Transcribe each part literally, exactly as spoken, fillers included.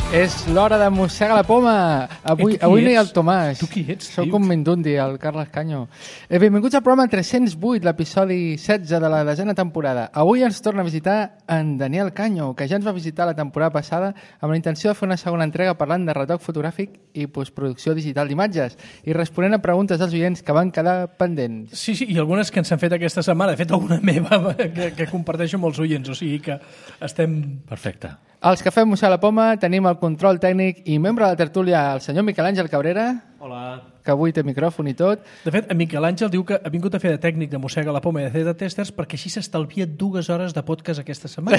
És l'hora de mossegar la poma. Avui, eh, avui no hi ha el Tomàs. Tu qui ets? Soc un Mindundi, el Carles Canyo. Eh, benvinguts al programa tres-cents vuit, l'episodi setze de la desena temporada. Avui ens torna a visitar en Daniel Canyo, que ja ens va visitar la temporada passada amb la intenció de fer una segona entrega parlant de retoc fotogràfic i postproducció digital d'imatges i responent a preguntes dels oients que van quedar pendents. Sí, sí, i algunes que ens han fet aquesta setmana. De fet, alguna meva que, que comparteixo amb els oients, o sigui que estem... Perfecte. Els que fem mossegar la poma tenim el control tècnic i membre de la tertúlia, el senyor Miquel Àngel Cabrera. Hola. Que avui té micròfon i tot. De fet, en Miquel Àngel diu que ha vingut a fer de tècnic de mossega la poma i de fer de testers perquè així s'estalvia dues hores de podcast aquesta setmana.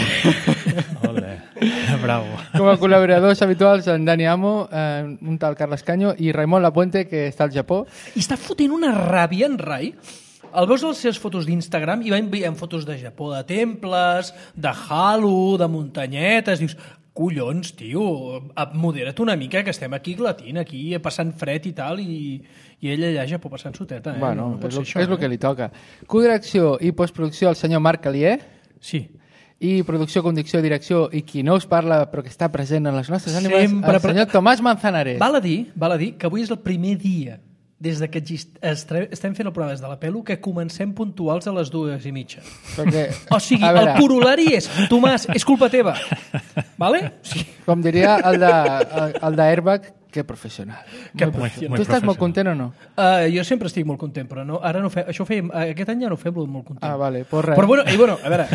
Ole, bravo. Com a col·laboradors habituals, en Dani Amo, eh, un tal Carles Canyo i Raimon Lapuente, que està al Japó. I està fotent una ràbia en Rai. El veus a les seves fotos d'Instagram i va enviant fotos de Japó, de temples, de halo, de muntanyetes. Dius, collons, tio, modera't una mica, que estem aquí glatint, aquí passant fred i tal, i, i ell allà a Japó passant soteta. Eh? Bueno, no, no pot és, ser el, això, és el eh? que li toca. Codirecció i postproducció, el senyor Marc Calier. Sí. I producció, conducció, direcció, i qui no us parla però que està present en les nostres ànimes, Sempre el senyor pre- Tomàs Manzanares. Val a dir, val a dir que avui és el primer dia des de que exist... estre- estem fent el programa des de la pelo que comencem puntuals a les dues i mitja. Perquè, O sigui, a veure, el corolari és Tomàs, és culpa teva. Vale? Sí. com diria el de, el, el de Airbag, que professional. Que Molt Muy, professional. muy Tu estàs molt professional. content o no? Uh, jo sempre estic molt content, però no, ara no fem, això ho fèiem, aquest any ja no ho fem molt content. Ah, vale, pues res. Però bueno, i bueno, a veure,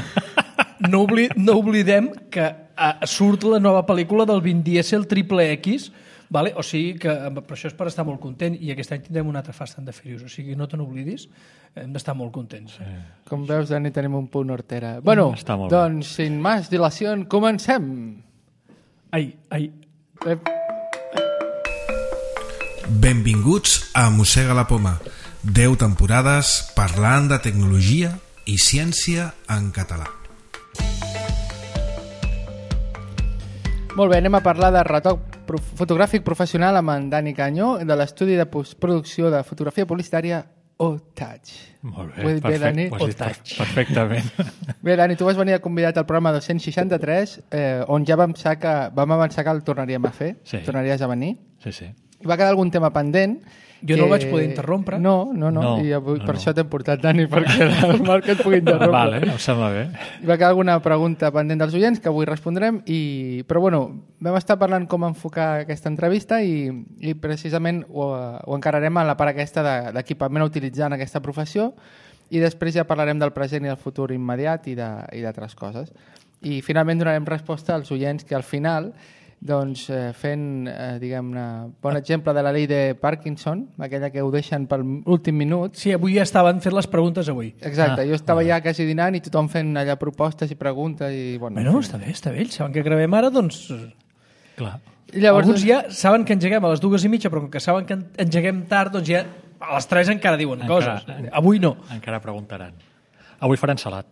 no, obli, no oblidem que uh, surt la nova pel·lícula del Vin Diesel Triple X, vale? O sigui que per això és per estar molt content, i aquest any tindrem un altre Fast and the Furious, o sigui no te n'oblidis, hem d'estar molt contents. Sí. Com veus, Dani, tenim un punt hortera. Bueno, Està molt bé. doncs, sin más dilació, comencem. Ai, ai, Eh, Benvinguts a Mossega la Poma. deu temporades parlant de tecnologia i ciència en català. Molt bé, anem a parlar de retoc prof fotogràfic professional amb en Dani Canyo, de l'estudi de postproducció de fotografia publicitària O-Touch. Molt bé, Ho he dit bé, Dani? Ho has dit per- Touch. perfectament. Bé, Dani, tu vas venir convidat al programa dos-cents seixanta-tres, eh, on ja vam, sa que, vam avançar que el tornaríem a fer, Sí. tornaries a venir. Sí, sí. I va quedar algun tema pendent. Jo no el vaig poder interrompre. No, no, no, No, i avui, no, per no. això t'hem portat, Dani, perquè el Marc et pugui interrompre. Vale, em sembla bé. Hi va quedar alguna pregunta pendent dels oients que avui respondrem, i... però bueno, vam estar parlant com enfocar aquesta entrevista i, i precisament ho, ho encararem a la part aquesta de- d'equipament a utilitzar en aquesta professió, i després ja parlarem del present i del futur immediat i de- i d'altres coses. I finalment donarem resposta als oients que al final, doncs, eh, fent, eh, diguem-ne, bon exemple de la llei de Parkinson, aquella que ho deixen per l'últim minut. sí, avui ja estaven fent les preguntes avui. Exacte, Ah, jo estava ja quasi dinant i tothom fent allà propostes i preguntes i... Bueno, Bueno, està bé, està bé, ells saben que gravem ara, doncs... Clar. I llavors, Alguns ja saben que engeguem a les dues i mitja, però com que saben que engeguem tard, doncs ja a les tres encara diuen Encara- coses. Avui no. Encara preguntaran. Avui faran salat.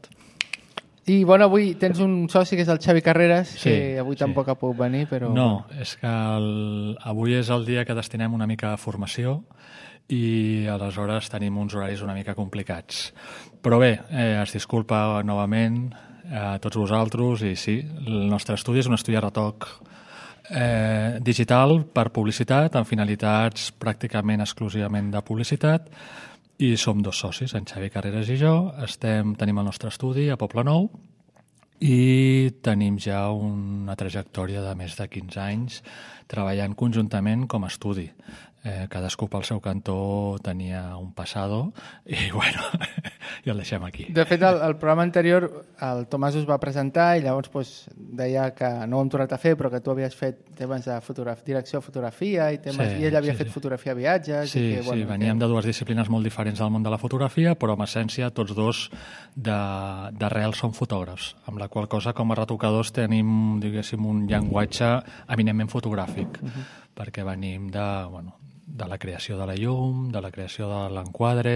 I bueno, avui tens un soci que és el Xavi Carreras, Sí, que avui sí. tampoc ha pogut venir, però... No, és que el, avui és el dia que destinem una mica a formació i aleshores tenim uns horaris una mica complicats. Però bé, eh, es disculpa novament a tots vosaltres i sí, el nostre estudi és un estudi de retoc eh, digital per publicitat, amb finalitats pràcticament exclusivament de publicitat, i som dos socis, en Xavi Carreras i jo. Estem, tenim el nostre estudi a Poble Nou i tenim ja una trajectòria de més de quinze anys treballant conjuntament com a estudi. Eh, cadascú pel seu cantó tenia un passado i bueno, i el deixem aquí. De fet, el, el programa anterior el Tomàs us va presentar i llavors pues, deia que no ho hem tornat a fer, però que tu havies fet temes de fotograf direcció de fotografia i, temes, Sí, i ell havia sí, fet sí. fotografia a viatges. Sí, i que, sí, bueno, veníem que... de dues disciplines molt diferents del món de la fotografia, però en essència tots dos de- d'arrel som fotògrafs, amb la qual cosa com a retocadors tenim, diguéssim, un llenguatge eminentment fotogràfic, uh-huh. perquè venim de, bueno, de la creació de la llum, de la creació de l'enquadre,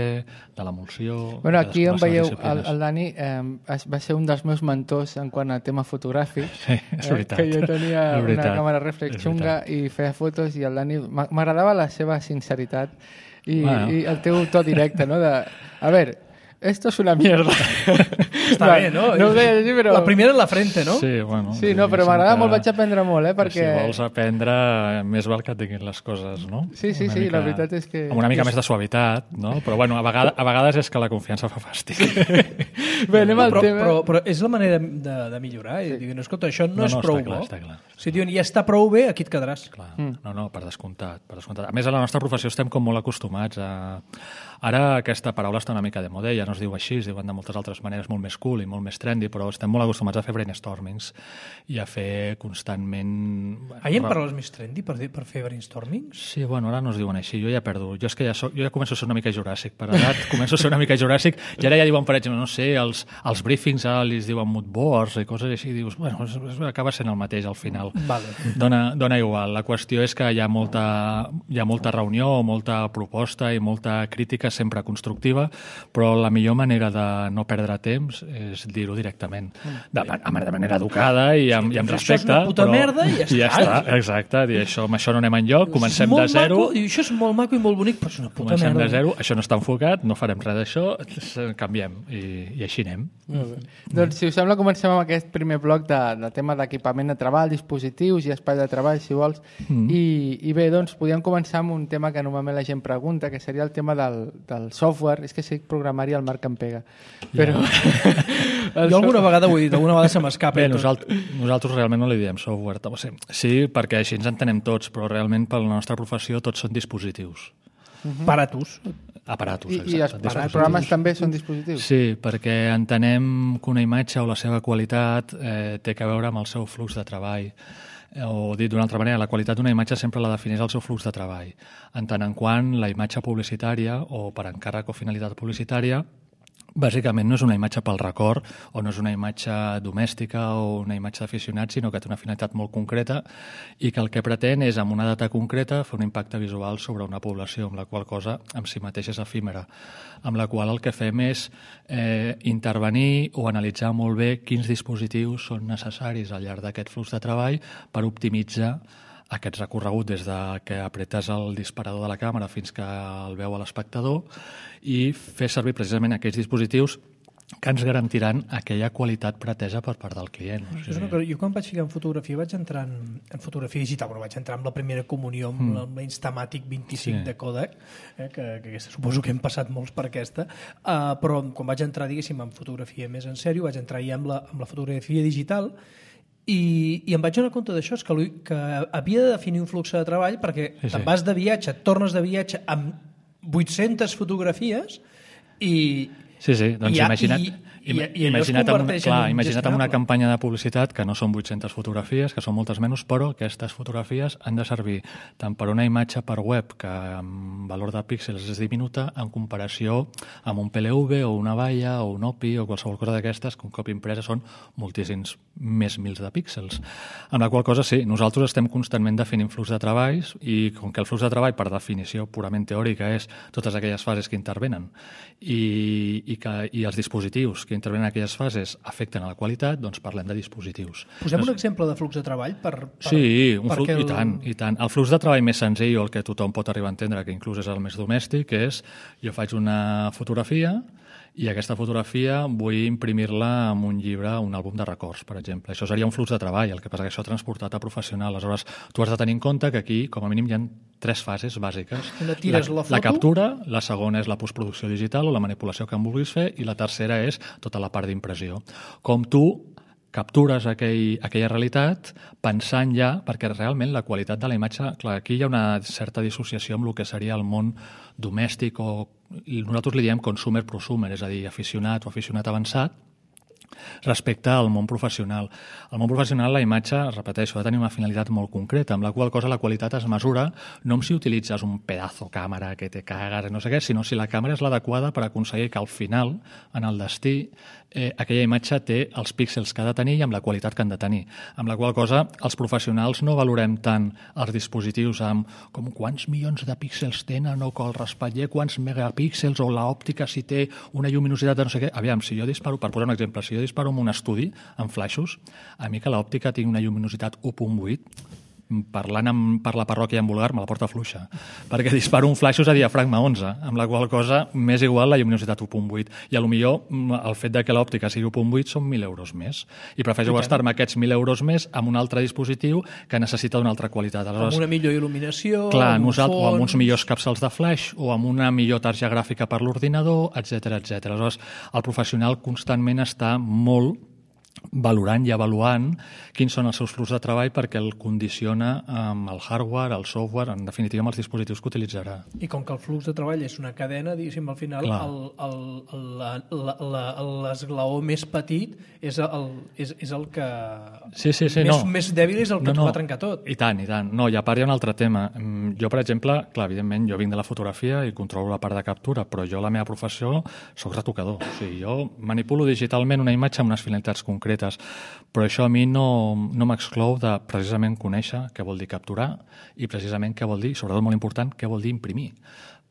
de l'emulsió... Bueno, aquí em cadascuna de les veieu, seves el, disciplines. el Dani eh, va ser un dels meus mentors en quant a tema fotogràfic. Sí, és veritat. Eh, que jo tenia És una veritat. càmera reflex És xunga veritat. i feia fotos i el Dani... m'a- M'agradava la seva sinceritat i, Bueno. i el teu to directe, no? De, a veure, esto es una mierda. Està bé, no? No ho deia així, però... La primera en la frente, no? Sí, bueno... Sí, no, però m'agrada molt, vaig aprendre molt, eh, perquè... Si vols aprendre, més val que et diguin les coses, no? Sí, sí, Una sí, mica, la veritat és que... Amb una mica més de suavitat, no? Però, bueno, a vegades, a vegades és que la confiança fa fàstic. Bé, anem al però, tema... però, però és la manera de, de millorar. Sí. I diuen, escolta, això no, No, és no, prou està clar, bo. està clar. Si diuen, ja està prou bé, aquí et quedaràs. Clar. Mm. No, no, per descomptat, per descomptat. A més, a la nostra professió estem com molt acostumats a... Ara aquesta paraula està una mica de moda, ja no es diu així, es diuen de moltes altres maneres molt més cool i molt més trendy, però estem molt acostumats a fer brainstormings i a fer constantment... Ah, hi ha paraules més trendy per, dir, per fer brainstormings? Sí, bueno, ara no es diuen així, jo ja perdo. Jo és que ja, soc, jo ja començo a ser una mica juràssic, per edat començo a ser una mica juràssic, i ara ja diuen, per exemple, no sé, els, els briefings ara li diuen mood boards i coses així, i dius, bueno, acaba sent el mateix al final. Vale. Dona, dona igual. La qüestió és que hi ha molta, hi ha molta reunió, molta proposta i molta crítica sempre constructiva, però la millor manera de no perdre temps és dir-ho directament. De, de manera educada i amb, i amb respecte. Això és una puta però, merda i ja està. I ja està, exacte. Dir això, amb això no anem enlloc, comencem de zero. Maco, això és molt maco i molt bonic, però és una puta Comencem merda. de zero, això no està enfocat, no farem res d'això, canviem i, i així anem. Mm. Doncs, si us sembla, comencem amb aquest primer bloc de, de tema d'equipament de treball, dispositius i espai de treball, si vols. Mm. I, I bé, doncs, podríem començar amb un tema que normalment la gent pregunta, que seria el tema del, del software. És que sé programari el Marc em pega. Però... Yeah. Jo alguna vegada ho he dit, alguna vegada se m'escapa. Bé, nosaltres, nosaltres realment no li diem software. Sí, perquè així ens entenem tots, però realment per la nostra professió tots són dispositius. Uh-huh. Aparatos. Aparatos, I, exacte. I els, els programes també són dispositius? Sí, perquè entenem que una imatge o la seva qualitat eh, té a veure amb el seu flux de treball. O dit d'una altra manera, la qualitat d'una imatge sempre la defineix el seu flux de treball. En tant en quant la imatge publicitària o per encàrrec o finalitat publicitària bàsicament no és una imatge pel record o no és una imatge domèstica o una imatge d'aficionat, sinó que té una finalitat molt concreta i que el que pretén és, amb una data concreta, fer un impacte visual sobre una població, amb la qual cosa en si mateix és efímera, amb la qual el que fem és eh, intervenir o analitzar molt bé quins dispositius són necessaris al llarg d'aquest flux de treball per optimitzar aquest recorregut des de que apretes el disparador de la càmera fins que el veu a l'espectador i fer servir precisament aquells dispositius que ens garantiran aquella qualitat pretesa per part del client. O sigui... cosa, jo quan vaig ficar en fotografia vaig entrar en, en fotografia digital, però vaig entrar amb la primera comunió amb mm. la Instamatic vint-i-cinc sí. de Kodak, eh, que, que aquesta, suposo que hem passat molts per aquesta, uh, però quan vaig entrar, diguéssim, en fotografia més en sèrio, vaig entrar ja amb la, amb la fotografia digital. I, i em vaig donar compte d'això, que, que havia de definir un flux de treball perquè sí, sí. te'n vas de viatge, et tornes de viatge amb vuit-centes fotografies i... Sí, sí, doncs i, imagina't, i, i, i imagina't, amb, clar, en imagina't amb una campanya de publicitat que no són vuit-centes fotografies, que són moltes menys, però aquestes fotografies han de servir tant per una imatge per web que amb valor de píxels és diminuta en comparació amb un P L V o una valla o un O P I o qualsevol cosa d'aquestes que un cop impresa són moltíssims més mils de píxels. Amb la qual cosa, sí, nosaltres estem constantment definint flux de treballs i com que el flux de treball, per definició purament teòrica, és totes aquelles fases que intervenen i, i, que, i els dispositius que intervenen en aquelles fases afecten a la qualitat, doncs parlem de dispositius. Posem doncs... un exemple de flux de treball? Per, per, sí, un flux, el... i tant, i tant. El flux de treball més senzill, o el que tothom pot arribar a entendre, que inclús és el més domèstic, és jo faig una fotografia i aquesta fotografia vull imprimir-la en un llibre, un àlbum de records, per exemple. Això seria un flux de treball, el que passa que això transportat a professional. Aleshores, tu has de tenir en compte que aquí, com a mínim, hi ha tres fases bàsiques. Una tires la, la, foto. la captura, la segona és la postproducció digital o la manipulació que en vulguis fer, i la tercera és tota la part d'impressió. Com tu captures aquell, aquella realitat pensant ja, perquè realment la qualitat de la imatge, clar, aquí hi ha una certa dissociació amb el que seria el món domèstic o nosaltres li diem consumer-prosumer, és a dir, aficionat o aficionat avançat, respecte al món professional. Al món professional la imatge, repeteixo, ha de tenir una finalitat molt concreta, amb la qual cosa la qualitat es mesura no si utilitzes un pedazo càmera que te cagues, no sé què, sinó si la càmera és l'adequada per aconseguir que al final, en el destí, eh, aquella imatge té els píxels que ha de tenir i amb la qualitat que han de tenir. Amb la qual cosa els professionals no valorem tant els dispositius amb com quants milions de píxels tenen o que el raspatller quants megapíxels o l'òptica si té una lluminositat de no sé què. Aviam, si jo disparo, per posar un exemple, si jo disparo en un estudi, amb flaixos, a mi que l'òptica tingui una lluminositat u coma vuit, parlant amb, per la parròquia en vulgar, me la porta fluixa, perquè disparo un flaixos a diafragma onze, amb la qual cosa m'és igual la lluminositat u punt vuit, i a lo millor el fet de que l'òptica sigui u punt vuit són mil euros més, i prefereixo gastar-me aquests mil euros més amb un altre dispositiu que necessita una altra qualitat. Aleshores, amb una millor il·luminació, clar, amb nosaltres, fons... o amb uns millors capçals de flash, o amb una millor targeta gràfica per l'ordinador, etcètera, etcètera. Aleshores, el professional constantment està molt valorant i avaluant quins són els seus fluxos de treball perquè el condiciona amb el hardware, el software, en definitiva amb els dispositius que utilitzarà. I com que el flux de treball és una cadena, diguéssim, al final l'esglaó més petit és el, és, és el que... Sí, sí, sí, més, no. més dèbil és el que no, t'ho no. va trencar tot. I tant, i tant. No, i a part hi ha un altre tema. Jo, per exemple, clar, evidentment, jo vinc de la fotografia i controlo la part de captura, però jo, la meva professió, soc retocador. O sigui, jo manipulo digitalment una imatge amb unes finalitats concretes, però això a mi no, no m'exclou de precisament conèixer què vol dir capturar i precisament què vol dir, sobretot molt important, què vol dir imprimir.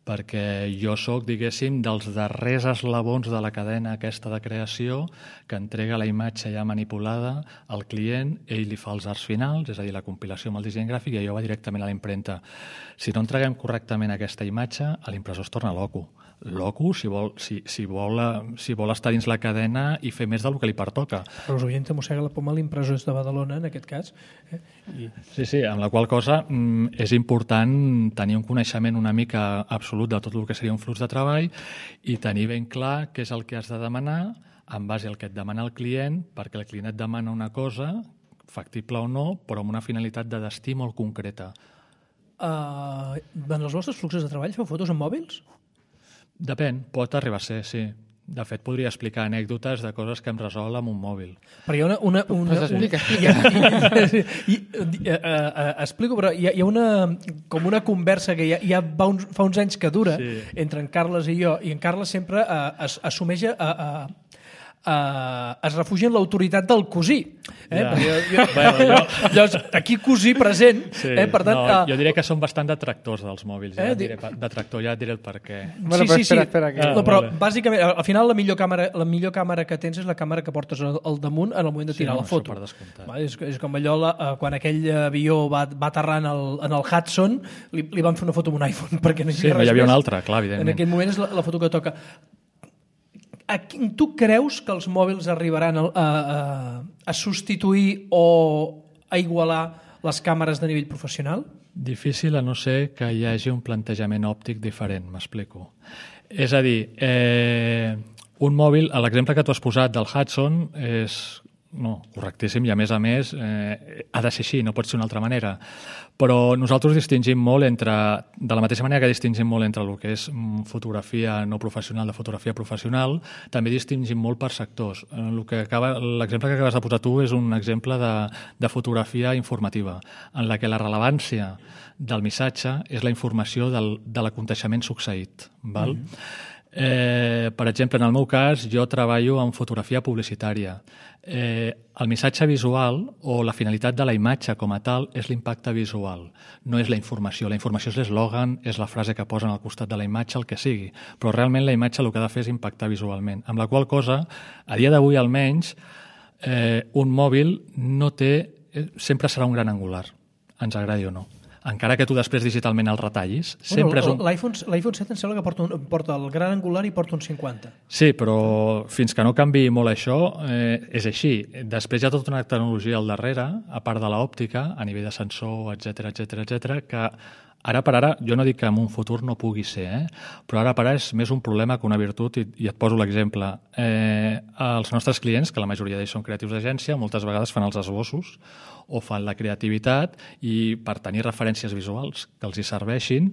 Perquè jo sóc, diguéssim, dels darrers eslabons de la cadena aquesta de creació que entrega la imatge ja manipulada al client, ell li fa els arts finals, és a dir, la compilació amb el disseny gràfic, i allò va directament a la impremta. Si no entreguem correctament aquesta imatge, a l'impressor es torna loco. Loco si vol, si, si, vol, si vol estar dins la cadena i fer més del que li pertoca. Però us oients mossega la poma, l'impressor és de Badalona, en aquest cas. Eh? I... Sí, sí, amb la qual cosa mm, és important tenir un coneixement una mica absolut de tot el que seria un flux de treball i tenir ben clar què és el que has de demanar en base al que et demana el client, perquè el client et demana una cosa, factible o no, però amb una finalitat de destí molt concreta. Uh, en els vostres fluxos de treball feu fotos amb mòbils? Depèn, pot arribar a ser, sí. De fet, podria explicar anècdotes de coses que hem resolt amb un mòbil. Però hi ha una... una, una pues explica, una i, i, i, uh, uh, explico, però hi ha, hi ha una, com una conversa que ja, ja va uns, fa uns anys que dura sí. entre en Carles i jo, i en Carles sempre uh, es, assumeix a... Uh, Uh, es refugia en l'autoritat del cosí. Eh? Ja. Jo, jo, bueno, jo, llavors, aquí cosí present. Sí. Eh? Per tant, no, uh, jo diria que són bastant detractors dels mòbils. Ja eh? diré, detractor, ja et diré el per què. Bueno, sí, però sí, espera, sí. espera. Que... Ah, no, però vale. bàsicament, al final la millor, càmera, la millor càmera que tens és la càmera que portes al, al damunt en el moment de tirar sí, no, la foto. Va, és, és com allò, la, uh, quan aquell avió va, va aterrar en el, en el Hudson, li, li van fer una foto amb un iPhone, perquè no hi sí, havia res hi havia més. una altra, clar, evidentment. En aquell moment és la, la foto que toca. A, tu creus que els mòbils arribaran a, a, a substituir o a igualar les càmeres de nivell professional? Difícil a no ser que hi hagi un plantejament òptic diferent, m'explico. És a dir, eh, un mòbil, l'exemple que tu has posat del Hudson és no, correctíssim i a més a més eh, ha de ser així, no pot ser d'una altra manera. Però nosaltres distingim molt entre, de la mateixa manera que distingim molt entre el que és fotografia no professional de fotografia professional, també distingim molt per sectors. L'exemple que acabes de posar tu és un exemple de, de fotografia informativa, en la que la rellevància del missatge és la informació del, de l'aconteixement succeït. Val? Mm. Eh, per exemple, en el meu cas, jo treballo en fotografia publicitària. Eh, el missatge visual o la finalitat de la imatge com a tal és l'impacte visual, no és la informació. La informació és l'eslògan, és la frase que posen al costat de la imatge, el que sigui, però realment la imatge el que ha de fer és impactar visualment. Amb la qual cosa, a dia d'avui almenys, eh, un mòbil no té, eh, sempre serà un gran angular, ens agradi o no. Encara que tu després digitalment el retallis, sempre bueno, és un... L'iPhone set em sembla que porta, un, porta el gran angular i porta un cinquanta. Sí, però fins que no canvi molt això, eh, és així. Després hi ha tota una tecnologia al darrere, a part de l'òptica, a nivell de sensor, etcètera, etcètera, etcètera, que ara per ara, jo no dic que en un futur no pugui ser, eh? Però ara per ara és més un problema que una virtut, i, i et poso l'exemple. Eh, els nostres clients, que la majoria d'ells són creatius d'agència, moltes vegades fan els esbossos o fan la creativitat i per tenir referències visuals que els hi serveixin,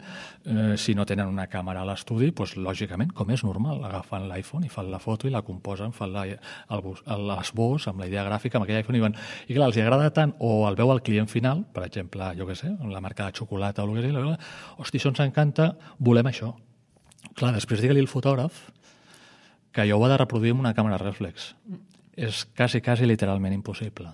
eh, si no tenen una càmera a l'estudi, doncs, lògicament, com és normal, agafen l'iPhone i fan la foto i la composen, fan l'esbós amb la idea gràfica, amb aquell iPhone, i van... I clar, els hi agrada tant, o el veu al client final, per exemple, jo què sé, la marca de xocolata o el que sigui, hosti, això ens encanta, volem això. Clar, després digue-li al fotògraf que jo ho ha de reproduir amb una càmera reflex. És quasi, quasi literalment impossible.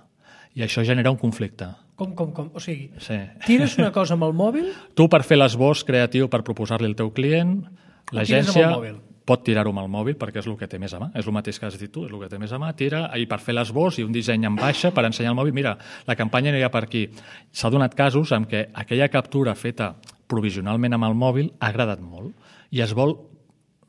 I això genera un conflicte. Com, com, com? O sigui, sí. Tires una cosa amb el mòbil... Tu, per fer l'esbós creatiu per proposar-li al teu client, l'agència... pot tirar-ho amb el mòbil perquè és el que té més a mà, és el mateix que has dit tu, és el que té més a mà, tira, i per fer l'esbós i un disseny en baixa per ensenyar al mòbil, mira, la campanya anirà per aquí. S'ha donat casos en què aquella captura feta provisionalment amb el mòbil ha agradat molt i es vol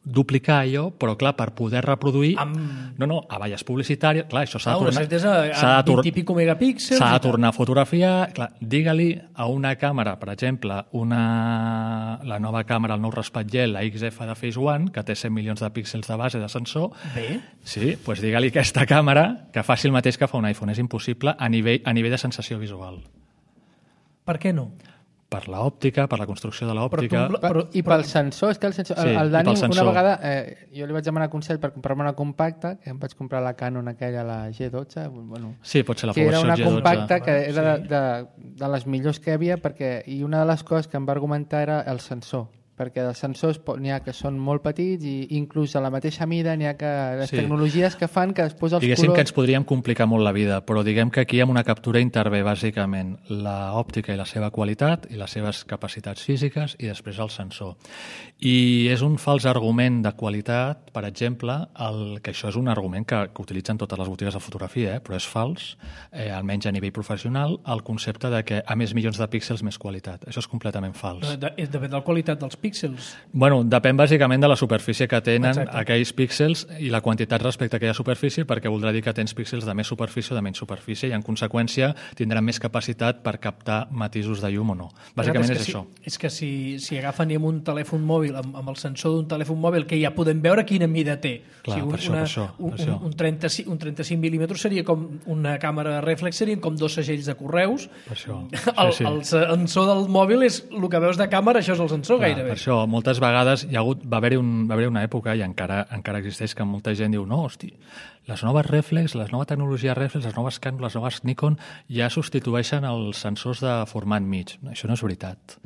duplicar allò, però clar, per poder reproduir Amb... no, no, a valles publicitàries, clar, això s'ha Ah, de una tornar certesa a vint i pico megapíxels. s'ha i de tal. tornar a fotografiar, clar, digue-li a una càmera, per exemple, una... la nova càmera, el nou raspatller, la X F de Phase One, que té cent milions de píxels de base de sensor, Bé. sí, doncs digue-li aquesta càmera que faci el mateix que fa un iPhone, és impossible a nivell, a nivell de sensació visual. Per què no? Per l'òptica, per la construcció de l'òptica... Però tu- Per, I pel sensor, és que el sensor... Sí, el, el i Dani, pel una sensor. vegada, eh, jo li vaig demanar consell per comprar-me una compacta, que em vaig comprar la Canon aquella, la G dotze, bueno, Sí, pot ser la que era Powershot una G dotze. compacta que Sí. era de, de, de les millors que hi havia, perquè, i una de les coses que em va argumentar era el sensor, perquè els sensors po- n'hi ha que són molt petits i inclús a la mateixa mida n'hi ha que les Sí. tecnologies que fan que després els Diguéssim que colors... ens podríem complicar molt la vida, però diguem que aquí amb una captura intervé bàsicament l'òptica i la seva qualitat i les seves capacitats físiques i després el sensor. I és un fals argument de qualitat, per exemple, el, que això és un argument que, que utilitzen totes les botigues de fotografia, eh, però és fals, eh, almenys a nivell professional, el concepte de que a més milions de píxels més qualitat. Això és completament fals. De, de, depèn de la qualitat dels píxels. Bueno, depèn bàsicament de la superfície que tenen Exacte. aquells píxels i la quantitat respecte a aquella superfície, perquè voldrà dir que tens píxels de més superfície o de menys superfície i en conseqüència tindran més capacitat per captar matisos de llum o no. Bàsicament és, és, que això. si, és que si, si agafen amb un telèfon mòbil, amb, amb el sensor d'un telèfon mòbil, que ja podem veure quina mida té. Clar, un, per això, una, per això, per un, això. un, un, trenta-cinc, un trenta-cinc mil·límetres seria com una càmera reflex, serien com dos segells de correus. Per això. El, Sí, sí. el sensor del mòbil és el que veus de càmera, això és el sensor Clar, gairebé. per això, moltes vegades hi ha hagut, va haver-hi un, va haver una època, i encara, encara existeix, que molta gent diu no, hosti, les noves reflex, les noves tecnologies reflex, les noves Canon, les noves Nikon, ja substitueixen els sensors de format mig. Això no és veritat.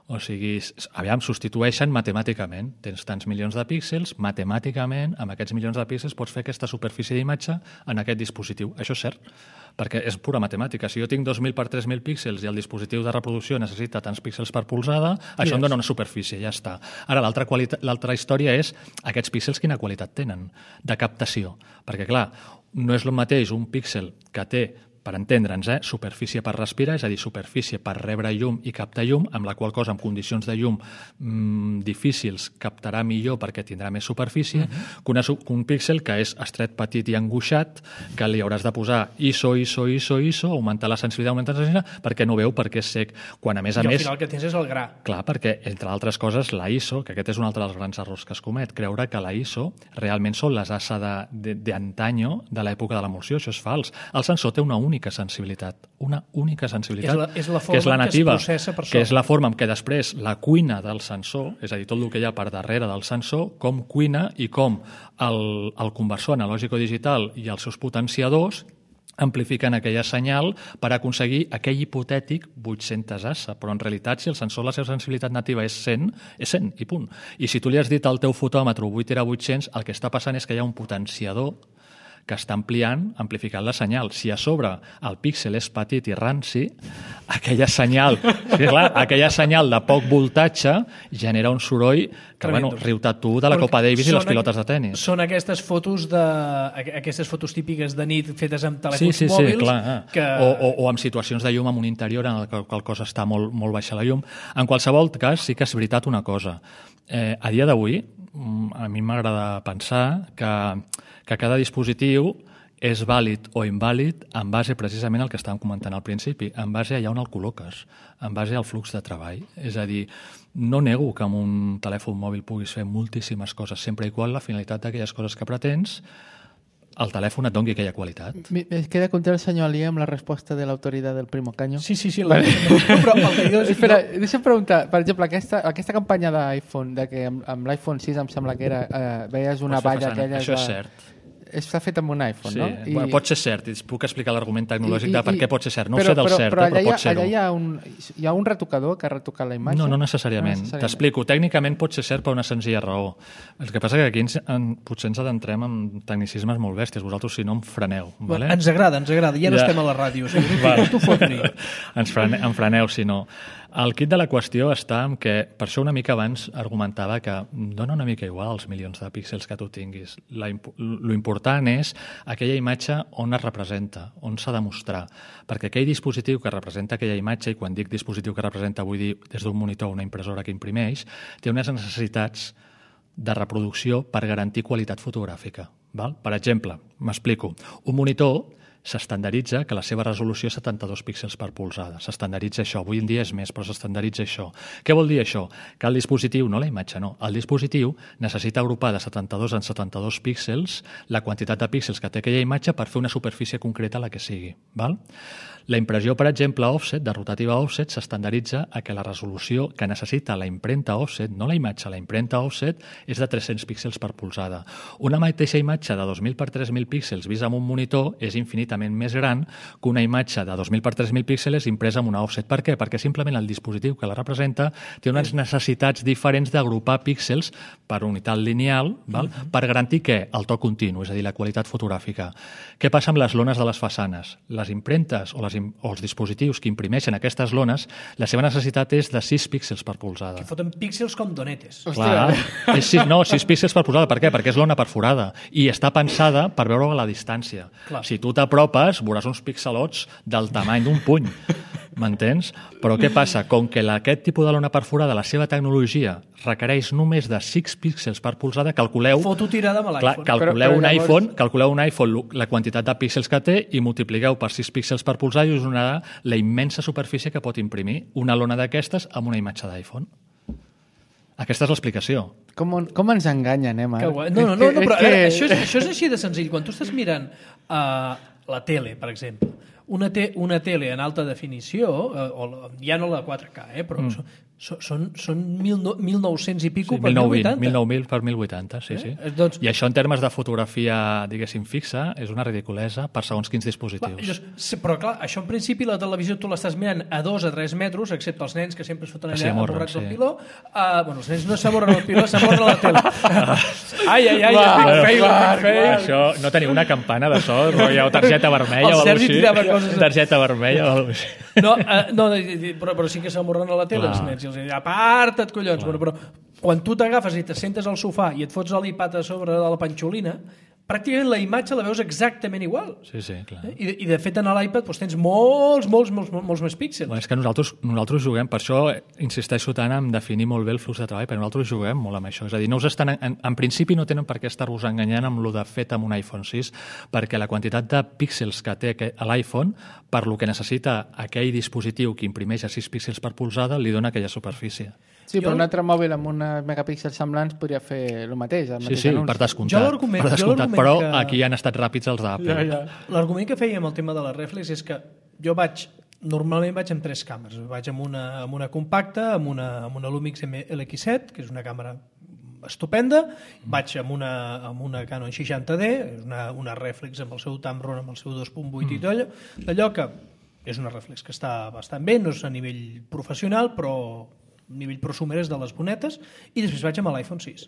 O sigui, s- aviam, substitueixen matemàticament. Tens tants milions de píxels, matemàticament, amb aquests milions de píxels pots fer aquesta superfície d'imatge en aquest dispositiu. Això és cert, perquè és pura matemàtica. Si jo tinc dos mil per tres mil píxels i el dispositiu de reproducció necessita tants píxels per polzada, això Yes. em dona una superfície, ja està. Ara, l'altra qualita- l'altra història és aquests píxels quina qualitat tenen de captació. Perquè, clar, no és el mateix un píxel que té, per entendre'ns, eh, superfície per respirar, és a dir, superfície per rebre llum i captar llum, amb la qual cosa, en condicions de llum mmm, difícils, captarà millor perquè tindrà més superfície, uh-huh. que, una, su- que un píxel que és estret, petit i angoixat, que li hauràs de posar I S O, I S O, I S O, I S O, augmentar la sensibilitat, augmentar la sensibilitat, perquè no veu, perquè és sec. Quan, a més a I al més... final el que tens és el gra. Clar, perquè, entre altres coses, la I S O, que aquest és un altre dels grans errors que es comet, creure que la I S O realment són les A S A de, de, de antanyo de l'època de l'emulsió. Això és fals. El sensor té una única sensibilitat, una única sensibilitat, És la- és la que és la forma en què es nativa, processa per que sobre. és la forma en què després la cuina del sensor, és a dir, tot el que hi ha per darrere del sensor, com cuina i com el, el conversor analògico-digital i els seus potenciadors amplifiquen aquella senyal per aconseguir aquell hipotètic vuit-centes A S A, però en realitat si el sensor, la seva sensibilitat nativa és cent, és cent i punt. I si tu li has dit al teu fotòmetre vuit era vuit-cents, el que està passant és que hi ha un potenciador que està ampliant, amplificant la senyal. Si a sobre el píxel és petit i ranci, aquella senyal, sí, clar, aquella senyal de poc voltatge genera un soroll que, bueno, Tremendo. riu-te tu de la Copa Davis i Són les pilotes aqu- de tennis. Són aquestes fotos de aqu- aquestes fotos típiques de nit fetes amb Sí, telèfons sí, sí, mòbils clar. que... O, o, o amb situacions de llum en un interior en el que el cos està molt, molt baixa la llum. En qualsevol cas, sí que és veritat una cosa. Eh, a dia d'avui, mm, a mi m'agrada pensar que, que cada dispositiu és vàlid o invàlid en base precisament al que estàvem comentant al principi, en base a allà on el col·loques, en base al flux de treball. És a dir, no nego que amb un telèfon mòbil puguis fer moltíssimes coses, sempre i quan la finalitat d'aquelles coses que pretens el telèfon et doni aquella qualitat. Mi- Es queda contra el senyor Ali amb la resposta de l'autoritat del Primo Caño. Sí, sí, sí. La... Però el que diu és... Espera, deixa'm preguntar, per exemple, aquesta, aquesta campanya d'iPhone, de que amb, amb l'iPhone sis em sembla que era, eh, veies una Pots fer valla façana. aquella... Això és de- cert. Està fet amb un iPhone, Sí, no? bueno, pot ser cert, i us puc explicar l'argument tecnològic de per què pot ser cert. No però, ho sé del però, cert, però eh, allà, però pot ser-ho. allà hi ha, un, hi ha un retocador que ha retocat la imatge? No, no necessàriament. No T'explico. Tècnicament pot ser cert per una senzilla raó. El que passa que aquí ens, en, potser ens adentrem en tecnicismes molt bèsties. Vosaltres, si no, em freneu. Vale? Ens agrada, ens agrada. Ja no Ja. estem a la ràdio. O sigui, Vale. tu fot-li. ens frane, em freneu, si no. El kit de la qüestió està en que, per això una mica abans argumentava que dona una mica igual els milions de píxels que tu tinguis. La, lo important és aquella imatge on es representa, on s'ha de mostrar. Perquè aquell dispositiu que representa aquella imatge, i quan dic dispositiu que representa vull dir des d'un monitor o una impressora que imprimeix, té unes necessitats de reproducció per garantir qualitat fotogràfica. Val? Per exemple, m'explico, un monitor s'estandaritza que la seva resolució és setanta-dos píxels per polzada. S'estandaritza això. Avui en dia és més, però s'estandaritza això. Què vol dir això? Que el dispositiu, no la imatge, no, el dispositiu necessita agrupar de setanta-dos en setanta-dos píxels la quantitat de píxels que té aquella imatge per fer una superfície concreta la que sigui. Val? La impressió, per exemple, offset, de rotativa offset, s'estandaritza a que la resolució que necessita la impremta offset, no la imatge, la impremta offset, és de tres-cents píxels per polzada. Una mateixa imatge de dos mil per tres mil píxels vista amb un monitor és infinitament més gran que una imatge de dos mil per tres mil píxels impresa amb una offset. Per què? Perquè simplement el dispositiu que la representa té unes necessitats diferents d'agrupar píxels per unitat lineal, val? Uh-huh. Per garantir què? El to continu, és a dir, la qualitat fotogràfica. Què passa amb les lones de les façanes? Les impremtes o, les, o els dispositius que imprimeixen aquestes lones, la seva necessitat és de sis píxels per polzada. Que foten píxels com donetes. Clar, és sis, no, sis píxels per polzada. Per què? Perquè és lona perforada i està pensada per veure a la distància. Clar. Si tu t'apropes, veuràs uns pixelots del tamany d'un puny. M'entens? Però què passa? Com que aquest tipus de lona perforada, la seva tecnologia, requereix només de sis píxels per polzada, calculeu... Foto tirada amb l'iPhone. Calculeu, però, però un llavors... iPhone, calculeu un iPhone la quantitat de píxels que té i multipliqueu per sis píxels per polzada i us donarà la immensa superfície que pot imprimir una lona d'aquestes amb una imatge d'iPhone. Aquesta és l'explicació. Com, com ens enganyen, eh, Marc? No, no, no, no però que... això, és, això és així de senzill. Quan tu estàs mirant uh, la tele, per exemple, una, te, una tele en alta definició, uh, o ja no la quatre K, eh, però mm. són, són, són mil nou-cents i pico sí, per mil vuitanta. mil nou mil per mil vuitanta, sí, eh? sí. Eh, doncs... I això en termes de fotografia, diguéssim, fixa, és una ridiculesa per segons quins dispositius. Clar, llavors, però clar, això en principi la televisió tu l'estàs mirant a dos a tres metres, excepte els nens que sempre es foten allà amorrats sí. al piló. Uh, bueno, els nens no s'amorren al piló, s'amorren a la tele. ai, ai, ai, va, va, fail, va, fail. Això, no teniu una campana de so, o targeta vermella o alguna cosa així? Targeta vermella o alguna cosa així. No, uh, no però, però sí que s'amorren a la tele els nens i els diuen, aparta't, collons. Bueno, però quan tu t'agafes i te sentes al sofà i et fots l'iPad a sobre de la panxolina, pràcticament la imatge la veus exactament igual. Sí, sí, clar. Eh? I, de, I de fet en l'iPad doncs, tens molts, molts, molts, molts més píxels. Bueno, és que nosaltres, nosaltres juguem, per això insisteixo tant en definir molt bé el flux de treball, perquè nosaltres juguem molt amb això. És a dir, no us estan, en, en principi no tenen per què estar-vos enganyant amb lo de fet amb un iPhone sis, perquè la quantitat de píxels que té l'iPhone, per lo que necessita aquell dispositiu que imprimeix a sis píxels per polzada, li dona aquella superfície. Sí, però jo... un altre mòbil amb uns megapíxels semblants podria fer el mateix. El mateix sí, sí, anunci. per descomptat. Per descomptat però que... aquí han estat ràpids els d'Apple. Ja, ja. L'argument que feia amb el tema de la reflex és que jo vaig, normalment vaig amb tres càmeres. Vaig amb una, amb una compacta, amb una, amb una Lumix L X set, que és una càmera estupenda, vaig amb una, amb una Canon seixanta D, una, una reflex amb el seu Tamron, amb el seu dos punt vuit mm. i tot allò, d'allò que és una reflex que està bastant bé, no és a nivell professional, però nivell prosumer és de les bonetes, i després vaig amb l'iPhone sis.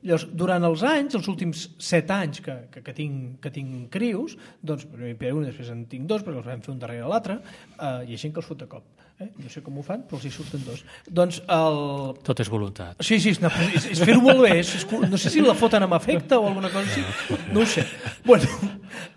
Llavors, durant els anys, els últims set anys que, que, que, tinc, que tinc crius, doncs, primer un i després en tinc dos, perquè els vam fer un darrere l'altre, eh, hi ha gent que els fot de cop. Eh? No sé com ho fan, però els hi surten dos. Doncs el... Tot és voluntat. Sí, sí, no, és, és fer-ho molt bé. És, és, no sé si la foten amb efecte o alguna cosa així. No ho sé. Bueno,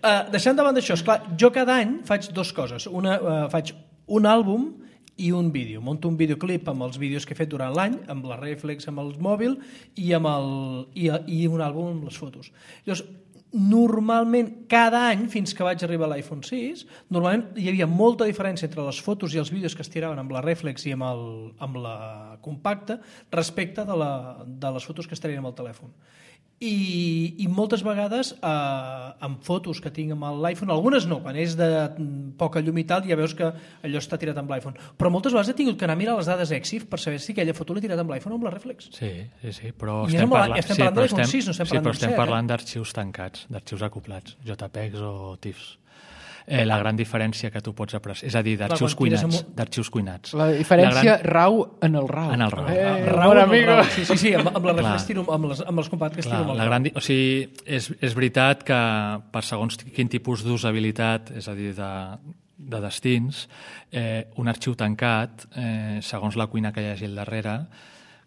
eh, deixant davant d'això, esclar, jo cada any faig dues coses. Una, eh, faig un àlbum i un vídeo. Monto un videoclip amb els vídeos que he fet durant l'any, amb la reflex, amb el mòbil, i, amb el, i, i un àlbum amb les fotos. Llavors, normalment, cada any, fins que vaig arribar a l'iPhone sis, normalment hi havia molta diferència entre les fotos i els vídeos que es tiraven amb la reflex i amb, el, amb la compacta respecte de, la, de les fotos que es tirien amb el telèfon. I, i moltes vegades eh, amb fotos que tinc amb l'iPhone, algunes no, quan és de poca llum i tal ja veus que allò està tirat amb l'iPhone, però moltes vegades he tingut que anar a mirar les dades E X I F per saber si aquella foto l'he tirat amb l'iPhone o amb la reflex. Sí, sí, sí, però I estem, parla... estem sí, parlant però de l'iPhone sis, no estem sí, parlant però estem d'un set, parlant eh? d'arxius tancats, d'arxius acoplats, JPEGs o TIFFs. Eh, la gran diferència que tu pots apreciar, és a dir, d'arxius cuinats, un... d'arxius cuinats. La diferència la gran... rau en el rau. En el rau. Eh, ah, rau en el rau. Sí, sí, sí, amb, amb la reflex tiro, amb, les, amb els compactes tiro amb el la gran... O sigui, és, és veritat que per segons quin tipus d'usabilitat, és a dir, de de destins, eh, un arxiu tancat, eh, segons la cuina que hi hagi al darrere.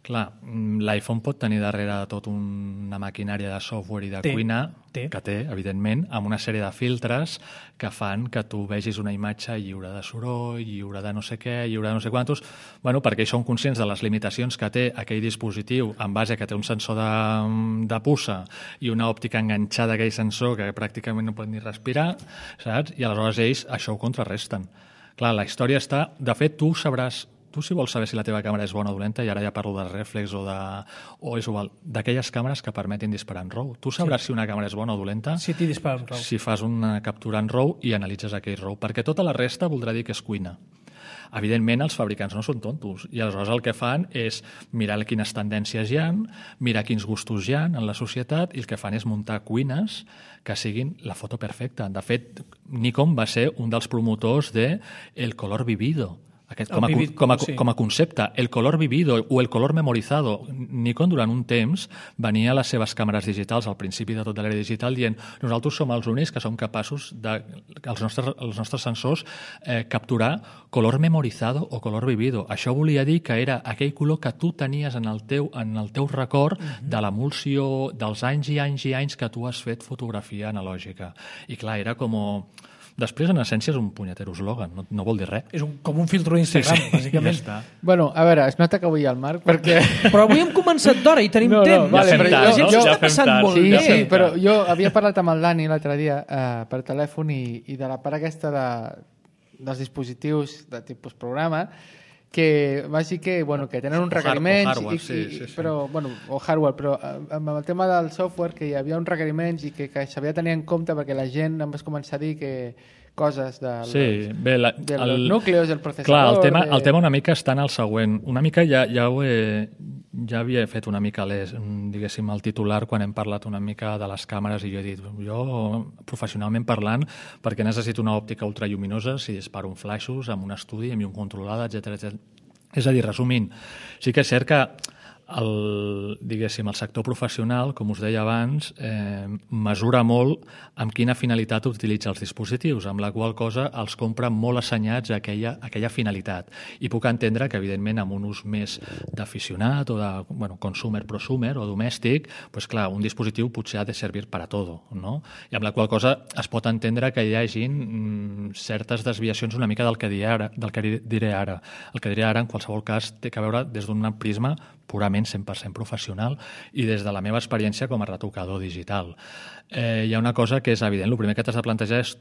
Clar, l'iPhone pot tenir darrere tot una maquinària de software i de té, cuina, té. que té, evidentment, amb una sèrie de filtres que fan que tu vegis una imatge lliure de soroll, lliure de no sé què, lliure de no sé quantos, bueno, perquè ells són conscients de les limitacions que té aquell dispositiu en base a que té un sensor de, de puça i una òptica enganxada a aquell sensor que pràcticament no pot ni respirar, saps? I aleshores ells això ho contrarresten. Clar, la història està... De fet, tu sabràs... Tu, si vols saber si la teva càmera és bona o dolenta, i ara ja parlo de reflex o de... o és igual, d'aquelles càmeres que permetin disparar en RAW. Tu sabràs sí. si una càmera és bona o dolenta si t'hi dispara en RAW. Si fas una captura en RAW i analitzes aquell RAW, perquè tota la resta voldrà dir que és cuina. Evidentment, els fabricants no són tontos, i aleshores el que fan és mirar quines tendències hi ha, mirar quins gustos hi ha en la societat, i el que fan és muntar cuines que siguin la foto perfecta. De fet, Nikon va ser un dels promotors de el color vivido, aquest, com, a, vivid, com, a, sí. com a concepte, el color vivido o el color memorizado. Nikon durant un temps venia a les seves càmeres digitals al principi de tota l'era digital dient nosaltres som els únics que som capaços de, els nostres, els nostres sensors eh, capturar color memorizado o color vivido. Això volia dir que era aquell color que tu tenies en el teu, en el teu record uh-huh. de l'emulsió dels anys i anys i anys que tu has fet fotografia analògica. I clar, era com... Després, en essència, és un punyetero eslògan, no, no vol dir res. És un, com un filtro d'Instagram, sí, sí, bàsicament. Ja bueno, a veure, es nota que avui hi ha el Marc, perquè... Però avui hem començat d'hora i tenim no, no, temps. vale, ja fem tard, la gent no? s'ho Ja està fem passant tard. molt Sí, bé. sí, però jo havia parlat amb el Dani l'altre dia eh, per telèfon i, i de la part aquesta de, dels dispositius de tipus programa, que va dir que, bueno, que tenen uns requeriments, o hardware, i, sí, i, sí, sí. però, bueno, o hardware, però amb el tema del software que hi havia uns requeriments i que, que s'havia de tenir en compte perquè la gent em va començar a dir que coses del, sí, bé, la, dels el, núcleos, del processador... Clar, el tema, de... el tema una mica està en el següent. Una mica ja, ja ho he... Ja havia fet una mica les, diguéssim, el titular quan hem parlat una mica de les càmeres i jo he dit, jo, professionalment parlant, perquè necessito una òptica ultralluminosa si disparo un flaixos amb un estudi, amb un controlada, etcètera, etcètera. És a dir, resumint, sí que és cert que el, diguéssim, el sector professional, com us deia abans, eh, mesura molt amb quina finalitat utilitza els dispositius, amb la qual cosa els compra molt assenyats a aquella, a aquella finalitat. I puc entendre que, evidentment, amb un ús més d'aficionat o de bueno, consumer, prosumer o domèstic, pues, clar, un dispositiu potser ha de servir per a tot, no? I amb la qual cosa es pot entendre que hi hagin mm, certes desviacions una mica del que diré ara. Del que diré ara. El que diré ara, en qualsevol cas, té que veure des d'un prisma purament cent per cent professional i des de la meva experiència com a retocador digital. Eh, hi ha una cosa que és evident. El primer que t'has de plantejar és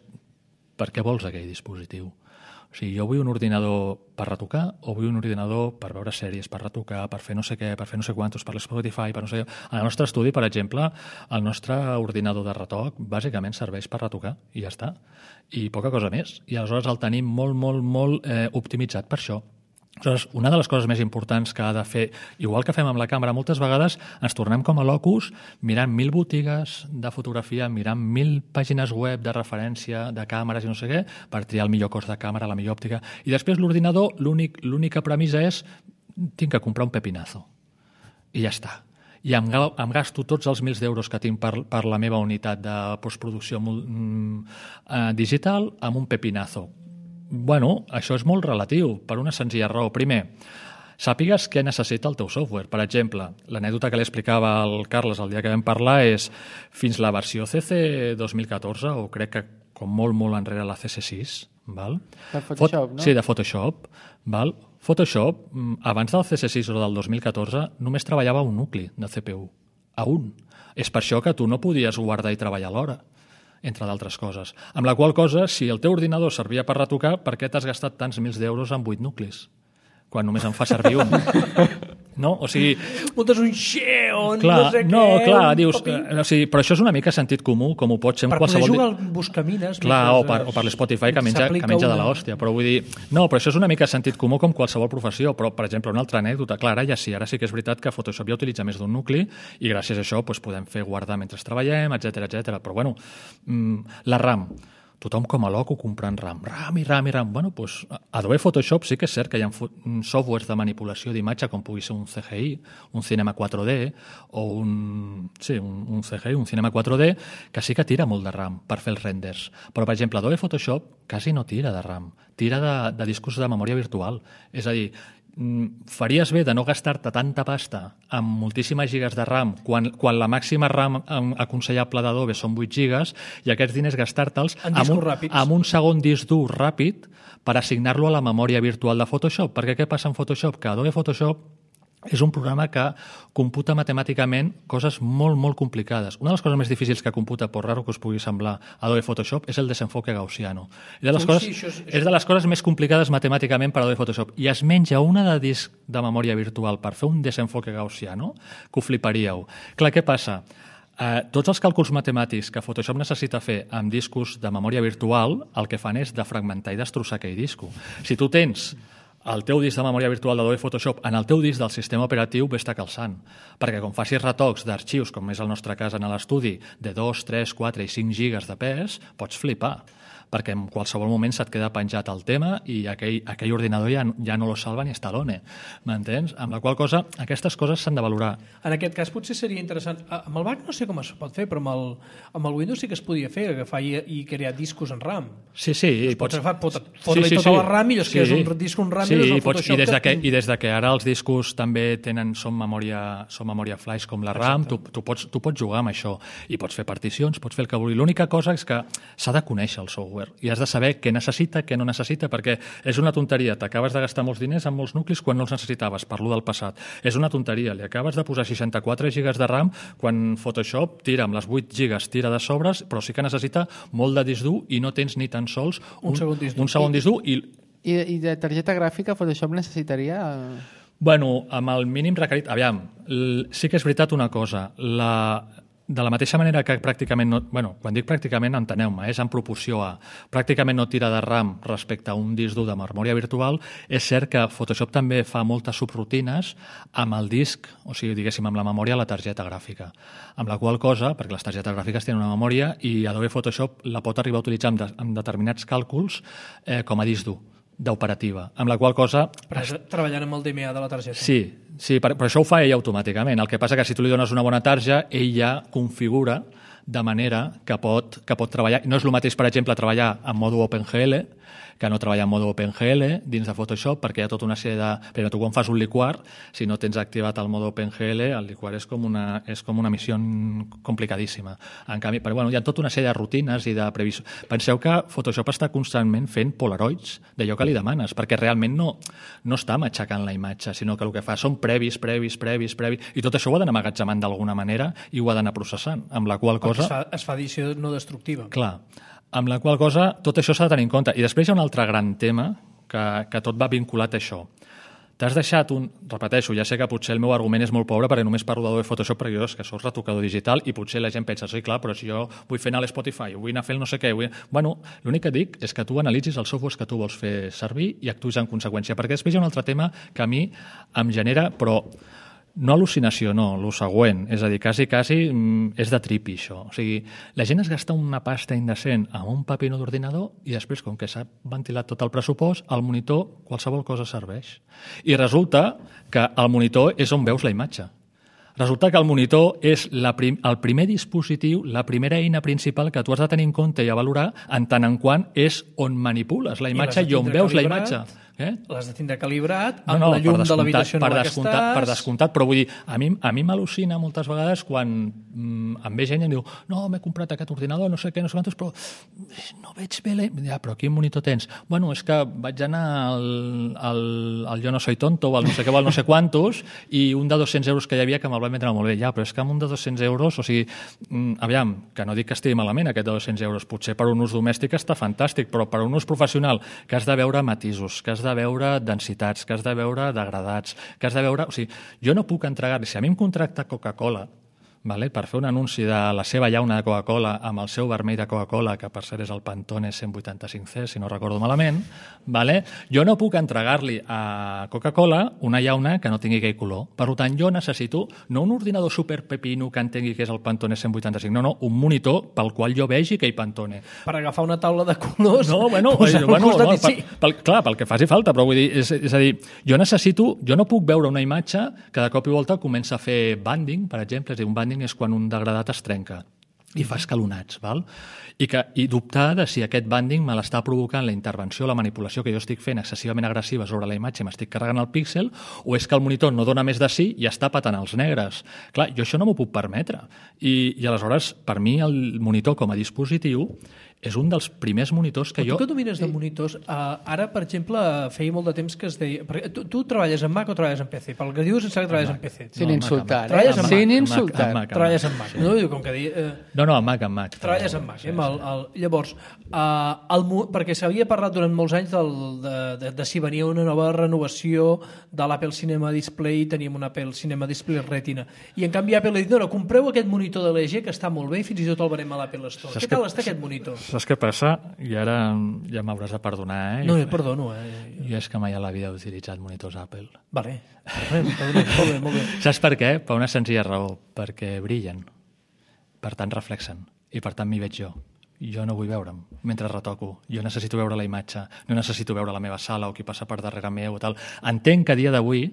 per què vols aquell dispositiu? O sigui, jo vull un ordinador per retocar o vull un ordinador per veure sèries, per retocar, per fer no sé què, per fer no sé quantos, per l'Spotify, per no sé què. En el nostre estudi, per exemple, el nostre ordinador de retoc bàsicament serveix per retocar i ja està. I poca cosa més. I aleshores el tenim molt, molt, molt eh, optimitzat per això. Aleshores, una de les coses més importants que ha de fer, igual que fem amb la càmera, moltes vegades ens tornem com a locus mirant mil botigues de fotografia, mirant mil pàgines web de referència de càmeres i no sé què, per triar el millor cos de càmera, la millor òptica. I després l'ordinador, l'únic, l'única premissa és tinc que comprar un pepinazo. I ja està. I em, em gasto tots els mils d'euros que tinc per, per la meva unitat de postproducció mm, eh, digital amb un pepinazo. Bueno, això és molt relatiu, per una senzilla raó. Primer, sàpigues què necessita el teu software. Per exemple, l'anècdota que li explicava al Carles el dia que vam parlar és fins la versió C C dos mil catorze, o crec que com molt, molt enrere la C C sis, val? De Photoshop, Fot- no? Sí, de Photoshop. Val? Photoshop, abans del C C sis o del dos mil catorze, només treballava un nucli de C P U. A un. És per això que tu no podies guardar i treballar alhora, entre d'altres coses. Amb la qual cosa, si el teu ordinador servia per retocar, per què t'has gastat tants mils d'euros en vuit nuclis? Quan només en fa servir un. No? O sigui... Muntes un xeon, clar, no sé no, què... clar, dius... Eh, o sigui, però això és una mica sentit comú, com ho pot ser en per qualsevol... Per poder jugar al Buscamines... Clar, o per, o per l'Spotify, que menja, que menja de l'hòstia. Però vull dir... No, però això és una mica sentit comú com qualsevol professió. Però, per exemple, una altra anècdota. Clar, ara ja sí, ara sí que és veritat que Photoshop ja utilitza més d'un nucli i gràcies a això doncs, podem fer guardar mentre treballem, etcètera, etcètera. Però, bueno, la RAM. tothom com a loco comprant RAM. RAM i RAM i RAM. Bueno, doncs Adobe Photoshop sí que és cert que hi ha softwares de manipulació d'imatge com pugui ser un C G I, un Cinema quatre D o un, sí, un, un C G I, un Cinema quatre D, que sí que tira molt de RAM per fer els renders. Però, per exemple, Adobe Photoshop quasi no tira de RAM, tira de, de discos de memòria virtual. És a dir, faries bé de no gastar-te tanta pasta amb moltíssimes gigas de RAM quan, quan la màxima RAM aconsellable d'Adobe són vuit gigas i aquests diners gastar-te'ls amb, un, amb un segon disc dur ràpid per assignar-lo a la memòria virtual de Photoshop. Perquè què passa en Photoshop? Que Adobe Photoshop és un programa que computa matemàticament coses molt, molt complicades. Una de les coses més difícils que computa, per raro que us pugui semblar, Adobe Photoshop, és el desenfoque gaussiano. I de les coses, sí, és, és de les coses més complicades matemàticament per Adobe Photoshop. I es menja una de disc de memòria virtual per fer un desenfoque gaussiano, que ho fliparíeu. Clar, què passa? Eh, tots els càlculs matemàtics que Photoshop necessita fer amb discos de memòria virtual, el que fan és defragmentar i destrossar aquell disco. Si tu tens el teu disc de memòria virtual d'Adobe Photoshop en el teu disc del sistema operatiu vés-te calçant, perquè com facis retocs d'arxius, com és el nostre cas en l'estudi, de dos, tres, quatre i cinc gigas de pes, pots flipar, perquè en qualsevol moment se't queda penjat el tema i aquell, aquell ordinador ja, ja no lo salva ni Stallone, m'entens? Amb la qual cosa, aquestes coses s'han de valorar. En aquest cas potser seria interessant, amb el Mac no sé com es pot fer, però amb el, amb el Windows sí que es podia fer, agafar i, i crear discos en RAM. Sí, sí. Pots agafar, pot fotre-li sí, sí, tota sí. la RAM i llavors sí. que és un disc un RAM sí, i, pots, i, des de que, i des de que ara els discos també tenen, són memòria, són memòria flash com la RAM, tu, tu, pots, tu pots jugar amb això i pots fer particions, pots fer el que vulguis. L'única cosa és que s'ha de conèixer el software i has de saber què necessita, què no necessita, perquè és una tonteria, t'acabes de gastar molts diners en molts nuclis quan no els necessitaves, parlo del passat. És una tonteria, li acabes de posar seixanta-quatre gigas de RAM quan Photoshop tira amb les vuit gigas, tira de sobres, però sí que necessita molt de disc dur i no tens ni tan sols un, un segon disc dur. Un segon disc dur i... I, I de targeta gràfica Photoshop necessitaria... Bueno, amb el mínim requerit... Aviam, sí que és veritat una cosa, la... De la mateixa manera que pràcticament no... Bueno, quan dic pràcticament, enteneu-me, és en proporció a... Pràcticament no tira de RAM respecte a un disc dur de memòria virtual. És cert que Photoshop també fa moltes subrutines amb el disc, o sigui, diguéssim, amb la memòria a la targeta gràfica. Amb la qual cosa, perquè les targetes gràfiques tenen una memòria i Adobe Photoshop la pot arribar a utilitzar amb, de, amb determinats càlculs eh, com a disc dur d'operativa, amb la qual cosa... Però treballant amb el D M A de la targeta. Sí, sí, però això ho fa ell automàticament. El que passa que si tu li dones una bona tarja, ell ja configura de manera que pot, que pot treballar. No és el mateix, per exemple, treballar en mode OpenGL que no treballar en mode OpenGL dins de Photoshop, perquè hi ha tota una sèrie de... Però tu quan fas un liquar, si no tens activat el mode OpenGL, el liquar és com una, és com una missió complicadíssima. En canvi, però, bueno, hi ha tota una sèrie de rutines i de previsió. Penseu que Photoshop està constantment fent polaroids d'allò que li demanes, perquè realment no, no està matxacant la imatge, sinó que el que fa són previs, previs, previs, previs, i tot això ho ha d'anar emmagatzemant d'alguna manera i ho ha d'anar processant, amb la qual cosa... Es fa, es fa edició no destructiva. Clar. Amb la qual cosa tot això s'ha de tenir en compte. I després hi ha un altre gran tema que, que tot va vinculat a això. T'has deixat un... Repeteixo, ja sé que potser el meu argument és molt pobre perquè només parlo d'Adobe Photoshop perquè jo és que soc retocador digital i potser la gent pensa, sí, clar, però si jo vull fer anar a l'Spotify, vull anar a fer el no sé què... Vull... Bueno, l'únic que dic és que tu analitzis els softwares que tu vols fer servir i actuïs en conseqüència, perquè després hi ha un altre tema que a mi em genera, però... No al·lucinació, no, el següent. És a dir, quasi, quasi és de tripi, això. O sigui, la gent es gasta una pasta indecent amb un paper d'ordinador i després, com que s'ha ventilat tot el pressupost, al monitor qualsevol cosa serveix. I resulta que el monitor és on veus la imatge. Resulta que el monitor és la prim, el primer dispositiu, la primera eina principal que tu has de tenir en compte i a valorar en tant en quant és on manipules la imatge i, i on veus calibrat. La imatge. Eh? L'has de tindre calibrat amb no, no, la llum de l'habitació en la que estàs. Per descomptat, però vull dir, a mi, a mi m'al·lucina moltes vegades quan mm, em ve gent i em diu no, m'he comprat aquest ordinador, no sé què, no sé quantos, però no veig bé la... Ja, però quin monitor tens? Bueno, és que vaig anar al, al, al Jo no soy tonto o al no sé què o al no sé quantos i un de dos-cents euros que hi havia que me'l van vendre molt bé. Ja, però és que amb un de dos-cents euros, o sigui, mm, aviam, que no dic que estigui malament aquest de dos-cents euros, potser per un ús domèstic està fantàstic, però per un ús professional que has de veure matisos, que has de de veure densitats, que has de veure degradats, que has de veure... O sigui, jo no puc entregar-li... Si a mi em contracta Coca-Cola vale? Per fer un anunci de la seva llauna de Coca-Cola amb el seu vermell de Coca-Cola, que per cert és el Pantone cent vuitanta-cinc C, si no recordo malament, vale? Jo no puc entregar-li a Coca-Cola una llauna que no tingui aquell color. Per tant, jo necessito no un ordinador superpepino que entengui que és el Pantone cent vuitanta-cinc, no, no, un monitor pel qual jo vegi aquell Pantone. Per agafar una taula de colors, no, bueno, posar bueno, al costat no, i sí. pel, pel, clar, pel que faci falta, però vull dir, és, és a dir, jo necessito, jo no puc veure una imatge que de cop i volta comença a fer banding, per exemple, és a dir, un banding és quan un degradat es trenca i fa escalonats, val? I, que, i dubtar de si aquest banding me l'està provocant la intervenció, la manipulació que jo estic fent excessivament agressiva sobre la imatge i m'estic carregant el píxel, o és que el monitor no dona més de sí i està patant els negres. Clar, jo això no m'ho puc permetre. I, I aleshores, per mi, el monitor com a dispositiu és un dels primers monitors que Però jo... tu que domines de monitors, uh, ara, per exemple, feia molt de temps que es deia... Perquè tu, tu treballes en Mac o treballes en P C? Pel que dius, em sembla que treballes en P C. Sin insultar, eh? Treballes en Mac. Sin insultar. Amb Mac, amb Treballes en Mac. No, com que deia... Uh, No, no, en Mac, en Mac. treballes en Mac. Eh? El, el, llavors, uh, el, perquè s'havia parlat durant molts anys del, de, de, de si venia una nova renovació de l'Apple Cinema Display, teníem un Apple Cinema Display Retina. I en canvi Apple ha dit, no, no, compreu aquest monitor de l'E G que està molt bé i fins i tot el venem a l'Apple Store. Saps Què tal que, està aquest monitor? Saps què passa? I ara ja m'hauràs de perdonar, eh? No, jo perdono, eh? Jo és que mai a la vida he utilitzat monitors Apple. Vale, perdona, perdona, molt bé, molt bé. Saps per què? Per una senzilla raó. Perquè brillen. Per tant, reflexen. I per tant, m'hi veig jo. Jo no vull veure'm mentre retoco. Jo necessito veure la imatge. No necessito veure la meva sala o qui passa per darrere meu o tal. Entenc que a dia d'avui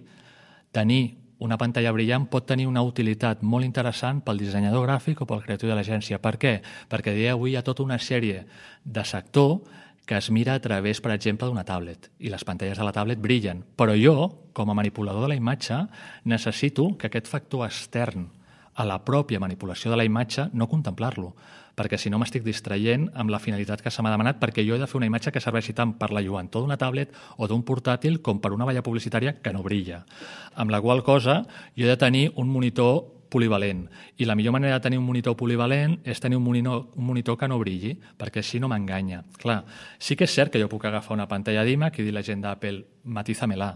tenir una pantalla brillant pot tenir una utilitat molt interessant pel dissenyador gràfic o pel creatiu de l'agència. Per què? Perquè a dia d'avui hi ha tota una sèrie de sector que es mira a través, per exemple, d'una tablet. I les pantalles de la tablet brillen. Però jo, com a manipulador de la imatge, necessito que aquest factor extern a la pròpia manipulació de la imatge no contemplar-lo, perquè si no m'estic distraient amb la finalitat que se m'ha demanat, perquè jo he de fer una imatge que serveixi tant per la lluentor d'una tablet o d'un portàtil com per una valla publicitària que no brilla. Amb la qual cosa jo he de tenir un monitor polivalent. I la millor manera de tenir un monitor polivalent és tenir un monitor, un monitor que no brilli, perquè així no m'enganya. Clar, sí que és cert que jo puc agafar una pantalla d'iMac i dir a la gent d'Apple, matízamela,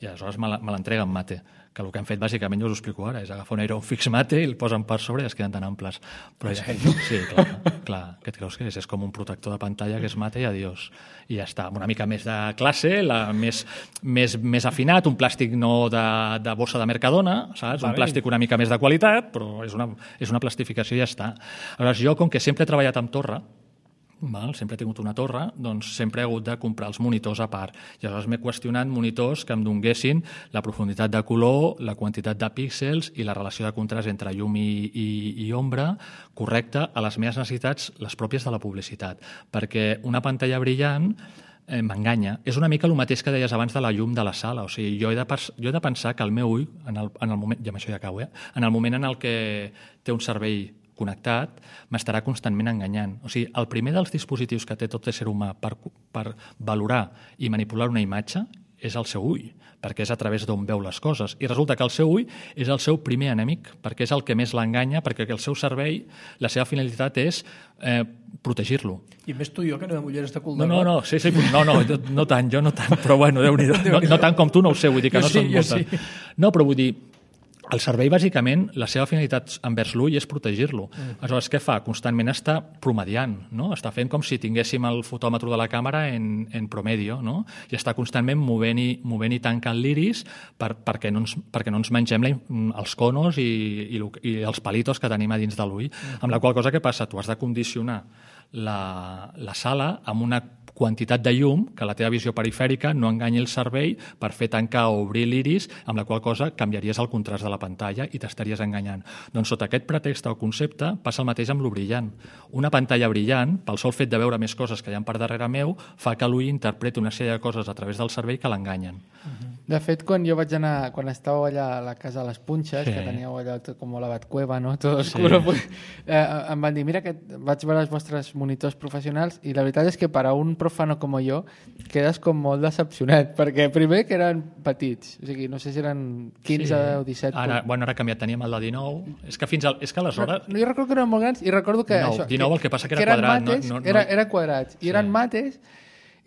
i aleshores me l'entrega en mate, que el que han fet bàsicament, jo us ho explico ara, és agafar un Iron Fix mate i el posen per sobre i es queden tan amples. Però ja, sí, clar, clar, què et creus que és? És com un protector de pantalla que és mate i adiós. I ja està, una mica més de classe, la, més, més, més afinat, un plàstic no de, de bossa de Mercadona, saps? Un plàstic una mica més de qualitat, però és una, és una plastificació i ja està. Aleshores, jo, com que sempre he treballat amb torre, Val? Sempre he tingut una torre, doncs sempre he hagut de comprar els monitors a part. I aleshores m'he qüestionat monitors que em donguessin la profunditat de color, la quantitat de píxels i la relació de contrast entre llum i, i, i ombra correcta a les meves necessitats, les pròpies de la publicitat. Perquè una pantalla brillant eh, m'enganya. És una mica el mateix que deies abans de la llum de la sala. O sigui, jo he de, jo he de pensar que el meu ull, en el, en el moment, i amb això ja acabo, eh? en el moment en el que té un cervell connectat, m'estarà constantment enganyant. O sigui, el primer dels dispositius que té tot ésser humà per, per valorar i manipular una imatge és el seu ull, perquè és a través d'on veu les coses. I resulta que el seu ull és el seu primer enemic, perquè és el que més l'enganya, perquè el seu cervell, la seva finalitat és eh, protegir-lo. I més tu i jo, que anem amb ulleres de cul No, de no, no, sí, sí, no, no, no tant, jo no tant, però bueno, Déu-n'hi-do. No, no tant com tu, no ho sé, vull dir que jo no sí, són moltes. Sí. No, però vull dir, el cervell, bàsicament, la seva finalitat envers l'ull és protegir-lo. Mm. Aleshores, què fa? Constantment està promediant, no? Està fent com si tinguéssim el fotòmetre de la càmera en, en promedio, no? I està constantment movent i, movent i tancant l'iris per, perquè, no ens, perquè no ens mengem la, els conos i, i, i els palitos que tenim a dins de l'ull. Mm. Amb la qual cosa, què passa? Tu has de condicionar la, la sala amb una quantitat de llum que la teva visió perifèrica no enganyi el cervell per fer tancar o obrir l'iris, amb la qual cosa canviaries el contrast de la pantalla i t'estaries enganyant. Doncs sota aquest pretext o concepte passa el mateix amb lo brillant. Una pantalla brillant, pel sol fet de veure més coses que hi ha per darrere meu, fa que l'ull interpreti una sèrie de coses a través del cervell que l'enganyen. Uh-huh. De fet, quan jo vaig anar, quan estàveu allà a la casa de les Punxes, sí. que teníeu allà tot com la Batcueva, no? Tot oscuro, sí. pues, eh, em van dir, mira que vaig veure els vostres monitors professionals i la veritat és que per a un profano com jo quedes com molt decepcionat, perquè primer que eren petits, o sigui, no sé si eren quinze sí. o disset. Ara, bueno, ara ha canviat, teníem el de dinou. És que fins al, és que aleshores... No, jo recordo que eren molt grans i recordo que dinou, això... dinou que, el que passa que, que era quadrat. Mates, no, no, era, no... era quadrats, i sí. eren mates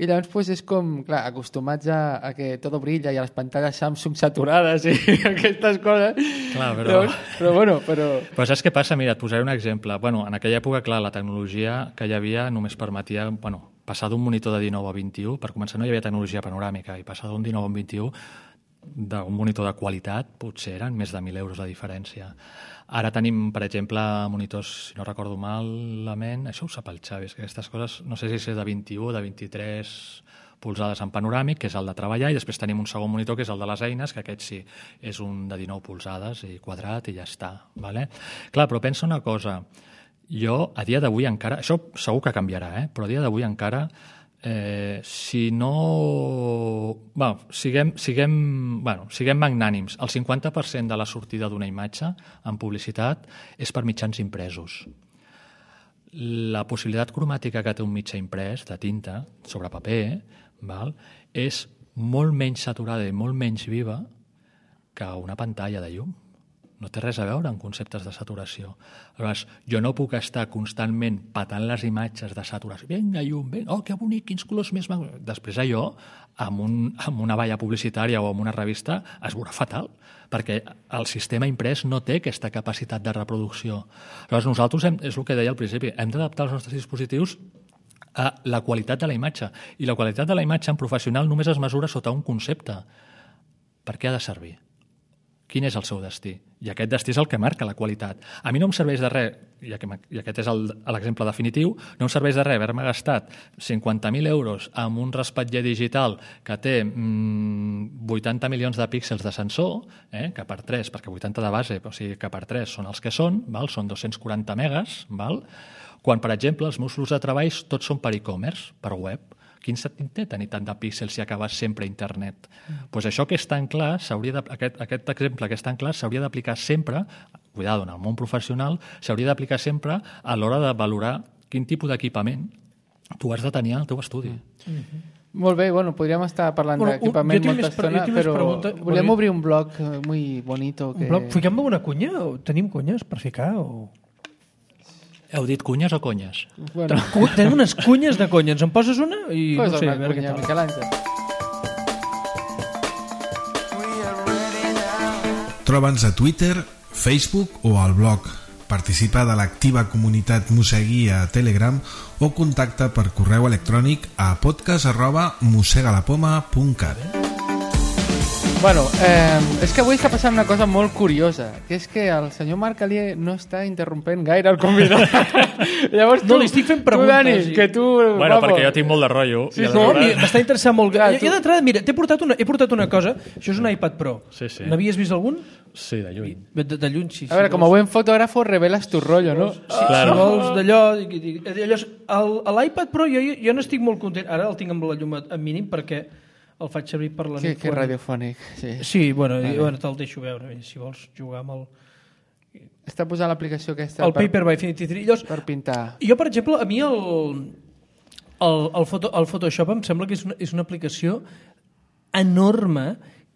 I llavors pues, és com, clar, acostumats a, a que tot brilla i a les pantalles Samsung saturades i aquestes coses. Clar, però... Llavors, però bueno, però... Però saps què passa? Mira, et posaré un exemple. Bueno, en aquella època, clar, la tecnologia que hi havia només permetia, bueno, passar d'un monitor de dinou a vint-i-u, per començar no hi havia tecnologia panoràmica, i passar d'un dinou a un vint-i-u, d'un monitor de qualitat, potser eren més de mil euros la diferència. Ara tenim, per exemple, monitors, si no recordo malament, això ho sap el Xavi, és que aquestes coses, no sé si és de vint-i-u o de vint-i-tres polzades en panoràmic, que és el de treballar, i després tenim un segon monitor, que és el de les eines, que aquest sí, és un de dinou polzades i quadrat i ja està. Vale? Clar, però pensa una cosa, jo a dia d'avui encara, això segur que canviarà, eh? Però a dia d'avui encara, eh, si no... Bueno, siguem, siguem, bueno, siguem magnànims, el cinquanta per cent de la sortida d'una imatge en publicitat és per mitjans impresos. La possibilitat cromàtica que té un mitjà imprès de tinta sobre paper, val, és molt menys saturada i molt menys viva que una pantalla de llum. No té res a veure amb conceptes de saturació. Aleshores, jo no puc estar constantment patant les imatges de saturació. Vinga, llum, vinga, oh, que bonic, quins colors més... Després allò, amb, un, amb una valla publicitària o amb una revista, es veurà fatal, perquè el sistema imprès no té aquesta capacitat de reproducció. Aleshores, nosaltres, hem, és el que deia al principi, hem d'adaptar els nostres dispositius a la qualitat de la imatge. I la qualitat de la imatge en professional només es mesura sota un concepte. Per què ha de servir? Quin és el seu destí? I aquest destí és el que marca la qualitat. A mi no em serveix de res, i aquest és l'exemple definitiu, no em serveix de res haver-me gastat cinquanta mil euros amb un raspatller digital que té mmm, vuitanta milions de píxels de sensor, eh, que per tres, perquè vuitanta de base, o sigui que per tres són els que són, val? Són dos-cents quaranta megas, val? Quan, per exemple, els meus flux de treball tots són per e-commerce, per web. Quin sentit té tenir tant de píxels si acabes sempre a internet? Mm. Pues això que és tan clar, de, aquest, aquest exemple que és tan clar, s'hauria d'aplicar sempre, cuidado, en el món professional, s'hauria d'aplicar sempre a l'hora de valorar quin tipus d'equipament tu has de tenir al teu estudi. Mm. Mm-hmm. Molt bé, bueno, podríem estar parlant bueno, d'equipament molta estona, però pregunta, volem obrir un blog muy bonito. Que... Un blog? Fiquem una cunya? O tenim cunyes per ficar? O... Heu dit cunyes o conyes? Bueno. Tenim unes cunyes de conya. Ens en poses una? I Posa no sé, una a veure cunya, què tal. Miquel Àngel. Troba'ns a Twitter, Facebook o al blog. Participa de l'activa comunitat Mosegui a Telegram o contacta per correu electrònic a podcast arroba mosegalapoma punt cat. Bueno, eh, és que avui està passant una cosa molt curiosa, que és que el senyor Marc Alier no està interrompent gaire el convidat. Llavors tu, no, li estic fent preguntes. Tu, Dani, i... que tu... Bueno, vamos. Perquè jo tinc molt de rotllo. Sí, no, m'està interessant molt. Ja, tu... d'entrada, mira, t'he portat, una, he portat una cosa. Això és un iPad Pro. Sí, sí. N'havies vist algun? Sí, de lluny. De, de, de lluny, sí. A veure, si com a buen fotògrafo reveles tu rotllo, no? Sí, claro. Si vols d'allò... L'iPad Pro, jo, jo n'estic molt content. Ara el tinc amb la llum a mínim perquè el faig servir per la nit. Sí, que radiofònic. Sí, sí bueno, vale. bueno te'l deixo veure, si vols jugar amb el... Està posant l'aplicació aquesta... El per, Paper by Infinity tres. Llavors, per pintar. Jo, per exemple, a mi el, el, el, foto, el Photoshop em sembla que és una, és una aplicació enorme,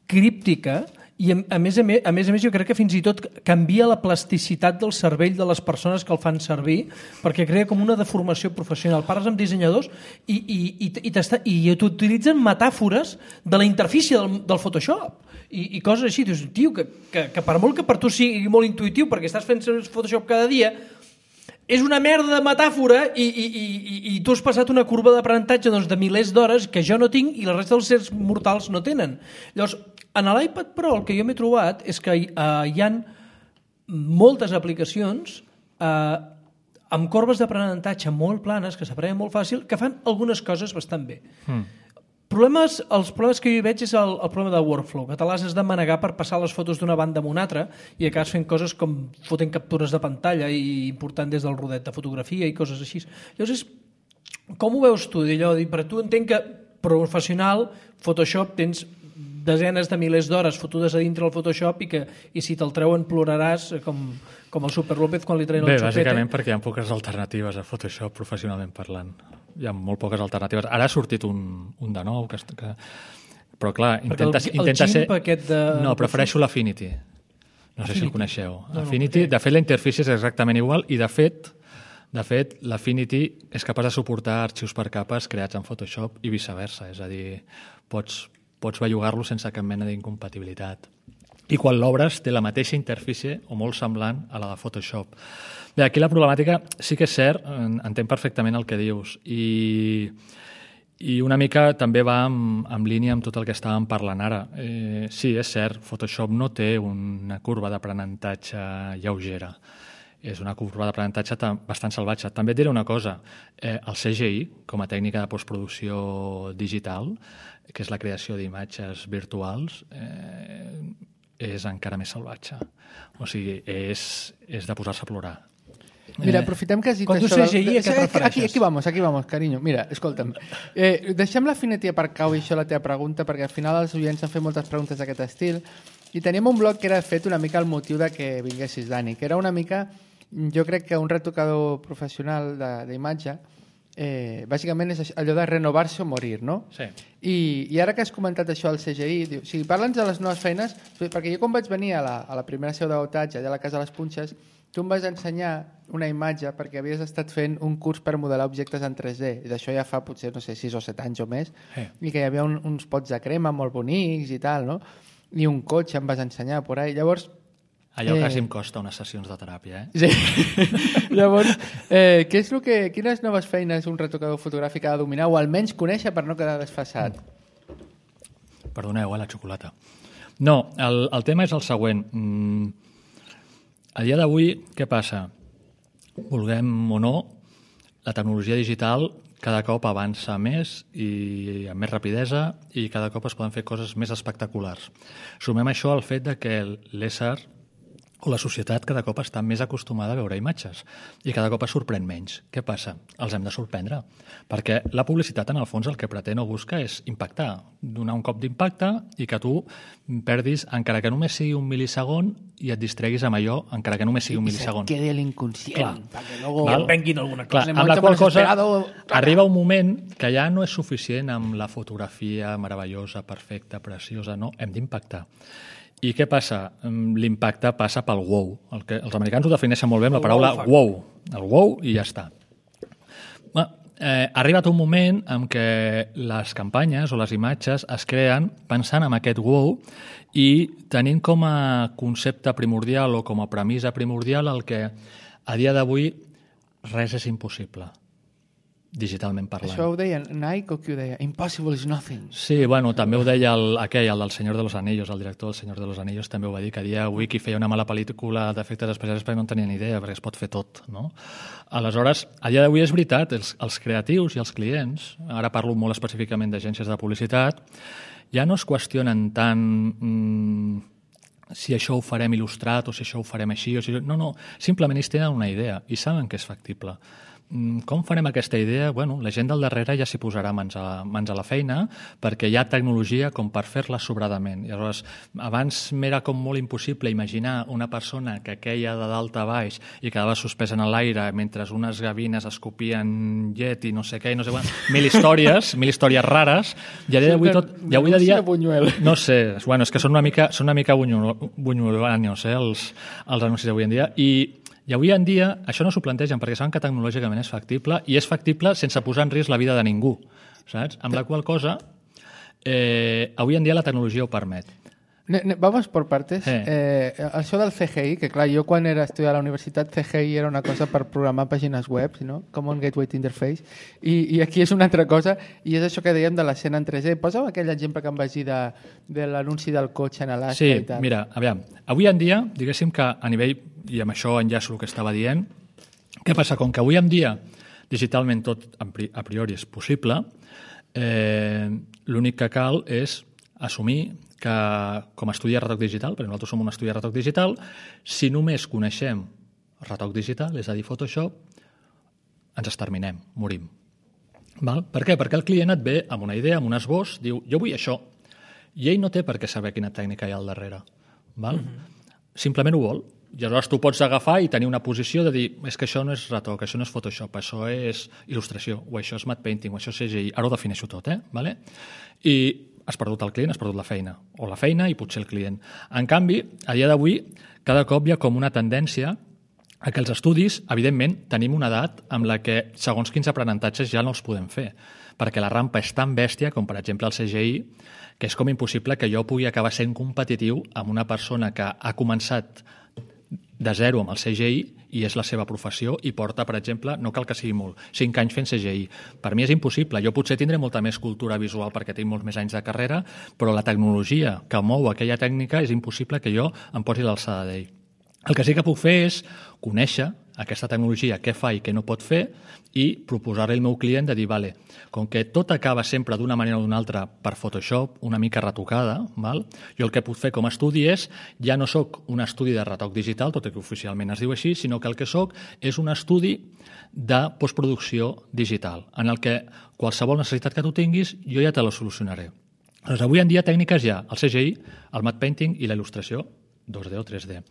críptica, i a, a, més a, més, a més a més jo crec que fins i tot canvia la plasticitat del cervell de les persones que el fan servir, perquè crea com una deformació professional. Parles amb dissenyadors i, i, i, i, i t'utilitzen metàfores de la interfície del, del Photoshop i, i coses així. Dius, tio, que, que, que per molt que per tu sigui molt intuïtiu perquè estàs fent Photoshop cada dia, és una merda de metàfora i, i, i, i tu has passat una curva d'aprenentatge doncs, de milers d'hores que jo no tinc i la resta dels sers mortals no tenen. Llavors, en l'iPad Pro el que jo m'he trobat és que uh, hi ha moltes aplicacions uh, amb corbes d'aprenentatge molt planes, que s'aprenen molt fàcil, que fan algunes coses bastant bé. Mm. Problemes, els problemes que jo hi veig és el, el problema del workflow, que te l'has de manegar per passar les fotos d'una banda a una altra i acabes fent coses com fotent captures de pantalla i important des del rodet de fotografia i coses així. Llavors, com ho veus tu? D'allò, per tu entenc que professional, Photoshop, tens desenes de milers d'hores fotudes a dintre del Photoshop i que i si te'l treuen ploraràs com, com el Super López quan li treien el xupete. Bé, bàsicament perquè hi ha poques alternatives a Photoshop professionalment parlant. Hi ha molt poques alternatives. Ara ha sortit un, un de nou, que, que... però clar, intenta, el, intenta el ser... Aquest de... No, prefereixo l'Affinity. No sé Affinity. Si el coneixeu. No, Affinity, no, de fet, la interfície és exactament igual i, de fet, De fet, l'Affinity és capaç de suportar arxius per capes creats en Photoshop i viceversa, és a dir, pots, pots bellugar-lo sense cap mena d'incompatibilitat. I quan l'obres té la mateixa interfície o molt semblant a la de Photoshop. Bé, aquí la problemàtica sí que és cert, entenc perfectament el que dius, i, i una mica també va en, en línia amb tot el que estàvem parlant ara. Eh, sí, és cert, Photoshop no té una curva d'aprenentatge lleugera. És una curva d'aprenentatge bastant salvatge. També et diré una cosa, eh, el C G I, com a tècnica de postproducció digital, que és la creació d'imatges virtuals, eh, és encara més salvatge. O sigui, és, és de posar-se a plorar. Mira, aprofitem que has dit Quan això... tu C G I, a què et aquí, refereixes? aquí vamos, aquí vamos, carinyo. Mira, escolta'm. Eh, deixem l'Affinity per cau i això la teva pregunta, perquè al final els oients han fet moltes preguntes d'aquest estil, i teníem un blog que era fet una mica el motiu de que vinguessis, Dani, que era una mica, jo crec que un retocador professional d'imatge, eh, bàsicament és allò de renovar-se o morir, no? Sí. I, I ara que has comentat això al C G I, diu, o sigui, parla'ns de les noves feines, perquè jo quan vaig venir a la, a la primera seu d'Otatge, allà a la Casa de les Punxes, tu em vas ensenyar una imatge perquè havies estat fent un curs per modelar objectes en tres D, i d'això ja fa potser, no sé, sis o set anys o més, sí. I que hi havia un, uns pots de crema molt bonics i tal, no? I un cotxe em vas ensenyar por ahí. Llavors, allò eh... quasi em costa unes sessions de teràpia, eh? Sí. Llavors, eh, què és el que, quines noves feines un retocador fotogràfic ha de dominar o almenys conèixer per no quedar desfasat? Perdoneu, eh, la xocolata. No, el, el tema és el següent. Mm, a dia d'avui, què passa? Vulguem o no, la tecnologia digital cada cop avança més i amb més rapidesa i cada cop es poden fer coses més espectaculars. Sumem això al fet de que l'ésser o la societat cada cop està més acostumada a veure imatges i cada cop es sorprèn menys. Què passa? Els hem de sorprendre, perquè la publicitat en el fons el que pretén o busca és impactar, donar un cop d'impacte i que tu perdis, encara que només sigui un mil·lisegon, i et distreguis amb allò, encara que només sigui un mil·lisegon. I se quede l'inconscient. Clar. Perquè luego... I em venguin alguna Clar, cosa. amb la qual cosa arriba un moment que ja no és suficient amb la fotografia meravellosa, perfecta, preciosa, no, hem d'impactar. I què passa? L'impacte passa pel wow. El que, els americans ho defineixen molt bé amb la paraula wow. El wow i ja està. Bé, eh, ha arribat un moment en què les campanyes o les imatges es creen pensant en aquest wow i tenint com a concepte primordial o com a premissa primordial el que a dia d'avui res és impossible, digitalment parlant. Això ho deia Nike o qui ho deia? Impossible is nothing. Sí, bueno, també ho deia el, aquell, el del Senyor de los Anillos, el director del Senyor de los Anillos també ho va dir, que a dia d'avui qui feia una mala pel·lícula d'efectes especials perquè no en tenia ni idea, perquè es pot fer tot, no? Aleshores, a dia d'avui és veritat, els, els creatius i els clients, ara parlo molt específicament d'agències de publicitat, ja no es qüestionen tant mmm, si això ho farem il·lustrat o si això ho farem així, o si... no, no, simplement ells tenen una idea i saben que és factible. Com farem aquesta idea? Bueno, la gent del darrere ja s'hi posarà mans a, mans a la feina perquè hi ha tecnologia com per fer-la sobradament. I llavors, abans m'era com molt impossible imaginar una persona que queia de dalt a baix i quedava suspesa en l'aire mentre unes gavines escopien llet i no sé què, i no sé quan, mil històries, mil històries rares, i a dia d'avui tot... I avui de dia, no sé, bueno, és que són una mica, són una mica bunyolanios, eh, els, els anuncis d'avui en dia, i I avui en dia això no s'ho plantegen perquè saben que tecnològicament és factible i és factible sense posar en risc la vida de ningú, saps? Amb la qual cosa, eh, avui en dia la tecnologia ho permet. Ne, ne, vamos por partes. Sí. Eh, això del C G I, que clar, jo quan era estudiar a la universitat, C G I era una cosa per programar pàgines web, no? Common Gateway Interface, i, i aquí és una altra cosa, i és això que dèiem de l'escena en tres D. Posa'm aquell exemple que em vaig dir de, de l'anunci del cotxe en Alaska sí, i tal. Sí, mira, aviam, avui en dia, diguéssim que a nivell, i amb això enllaço el que estava dient, què passa? Com que avui en dia digitalment tot a priori és possible, eh, l'únic que cal és assumir que com a estudi de retoc digital, perquè nosaltres som un estudi de retoc digital, si només coneixem retoc digital, és a dir, Photoshop, ens exterminem, morim. Val? Per què? Perquè el client et ve amb una idea, amb un esbós, diu, jo vull això, i ell no té per què saber quina tècnica hi ha al darrere. Val? Mm-hmm. Simplement ho vol. I aleshores tu pots agafar i tenir una posició de dir és que això no és retoc, això no és Photoshop, això és il·lustració, o això és matte painting, o això és C G I. Ara ho defineixo tot, eh? Vale? I has perdut el client, has perdut la feina. O la feina i potser el client. En canvi, a dia d'avui, cada cop hi ha com una tendència que els estudis, evidentment, tenim una edat amb la que segons quins aprenentatges ja no els podem fer, perquè la rampa és tan bèstia com, per exemple, el C G I, que és com impossible que jo pugui acabar sent competitiu amb una persona que ha començat de zero amb el C G I i és la seva professió i porta, per exemple, no cal que sigui molt, cinc anys fent C G I. Per mi és impossible. Jo potser tindré molta més cultura visual perquè tinc molts més anys de carrera, però la tecnologia que mou aquella tècnica és impossible que jo em posi l'alçada d'ell. El que sí que puc fer és conèixer aquesta tecnologia, què fa i què no pot fer, i proposar-li al meu client de dir, vale, com que tot acaba sempre d'una manera o d'una altra per Photoshop, una mica retocada, val? Jo el que puc fer com a estudi és, ja no sóc un estudi de retoc digital, tot i que oficialment es diu així, sinó que el que sóc és un estudi de postproducció digital, en el que qualsevol necessitat que tu tinguis, jo ja te la solucionaré. Doncs avui en dia tècniques hi ha el C G I, el matte painting i la il·lustració dos D o tres D.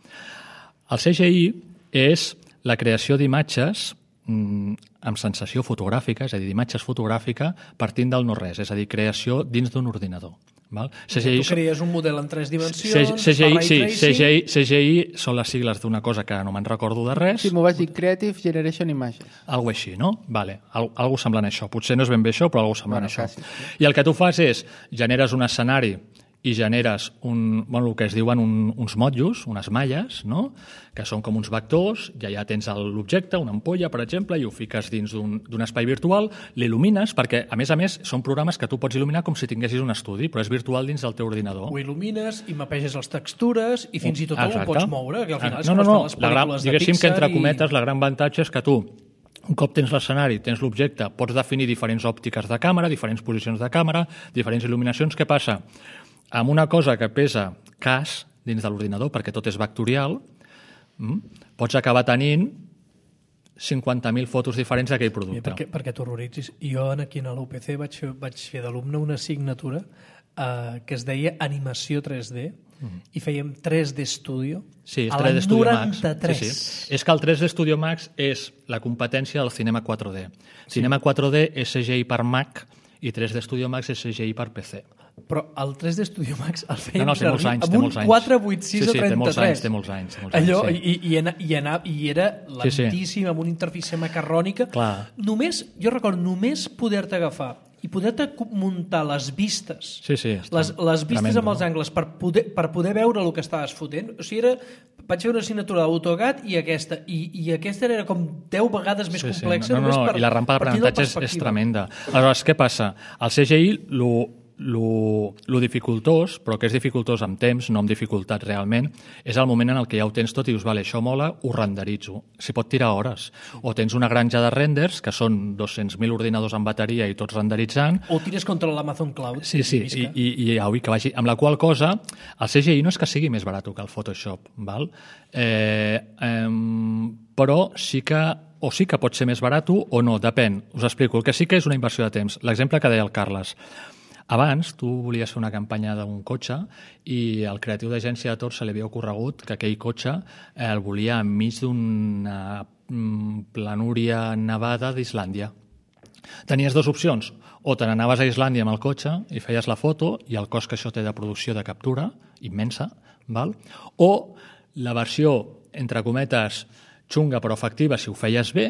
El C G I és la creació d'imatges mmm, amb sensació fotogràfica, és a dir, d'imatges fotogràfica partint del no-res, és a dir, creació dins d'un ordinador. Val? C G I, tu creies un model en tres dimensions, C G I, sí, tracing... C G I, C G I són les sigles d'una cosa que no me'n recordo de res. Sí, m'ho vaig dir Creative Generation Images. Algo així, no? Vale, al, algo semblant a això. Potser no és ben bé això, però algo semblant bueno, a això. quasi, sí. I el que tu fas és, generes un escenari i generes un, bueno, el que es diuen un, uns motllos, unes malles, no? Que són com uns vectors, i allà tens l'objecte, una ampolla, per exemple, i ho fiques dins d'un espai virtual, l'il·lumines, perquè, a més a més, són programes que tu pots il·luminar com si tinguessis un estudi, però és virtual dins del teu ordinador. Ho il·lumines i mapeges les textures i fins i tot ho pots moure, que al final és no, no, com no, estan les pel·lícules gran, de diguéssim Pixar que entre i... cometes la gran avantatge és que tu, un cop tens l'escenari, tens l'objecte, pots definir diferents òptiques de càmera, diferents posicions de càmera, diferents il·luminacions. Què passa? Amb una cosa que pesa cas dins de l'ordinador, perquè tot és vectorial, pots acabar tenint cinquanta mil fotos diferents d'aquell producte. Mira, perquè perquè t'horroritzis. Jo aquí a l'U P C vaig fer, vaig fer d'alumne una assignatura eh, que es deia Animació tres D mm. i fèiem tres D Studio sí, a l'any noranta-tres. Sí, sí. És que el tres D Studio Max és la competència del Cinema quatre D. Sí. Cinema quatre D és C G I per Mac i tres D Studio Max és C G I per P C. Però el tres D Studio Max el fèiem no, no, servir anys, amb un quatre vuit sis sí, sí, o trenta-tres. Té molts anys, té molts anys. Té molts Allò, anys sí. i, i, anà, i, anà, I era lentíssim, sí, sí. amb una interfície macarrònica. Clar. Només, jo recordo, només poder-te agafar i poder-te muntar les vistes, sí, sí, les, les vistes tremendo. amb els angles per poder, per poder veure el que estaves fotent. O sigui, era, vaig fer una assignatura d'AutoCAD i aquesta, i, i aquesta era com deu vegades més sí, complexa. Sí. No, no, no, per, i la rampa d'aprenentatge és, és tremenda. Aleshores, què passa? El C G I, lo, lo, lo dificultós, però que és dificultós amb temps, no amb dificultat realment, és el moment en el que ja ho tens tot i dius, vale, això mola, ho renderitzo. S'hi pot tirar hores. O tens una granja de renders, que són dos-cents mil ordinadors amb bateria i tots renderitzant. O tires contra l'Amazon Cloud. Sí, sí, i, i, i ja, que vagi. Amb la qual cosa, el C G I no és que sigui més barat que el Photoshop, val? Eh, eh, però sí que o sí que pot ser més barat o no, depèn. Us explico. El que sí que és una inversió de temps. L'exemple que deia el Carles. Abans, tu volies fer una campanya d'un cotxe i al creatiu d'agència de Tor se li havia ocorregut que aquell cotxe el volia enmig d'una planúria nevada d'Islàndia. Tenies dues opcions. O te n'anaves a Islàndia amb el cotxe i feies la foto i el cost que això té de producció de captura, immensa, val? O la versió, entre cometes, xunga però efectiva, si ho feies bé,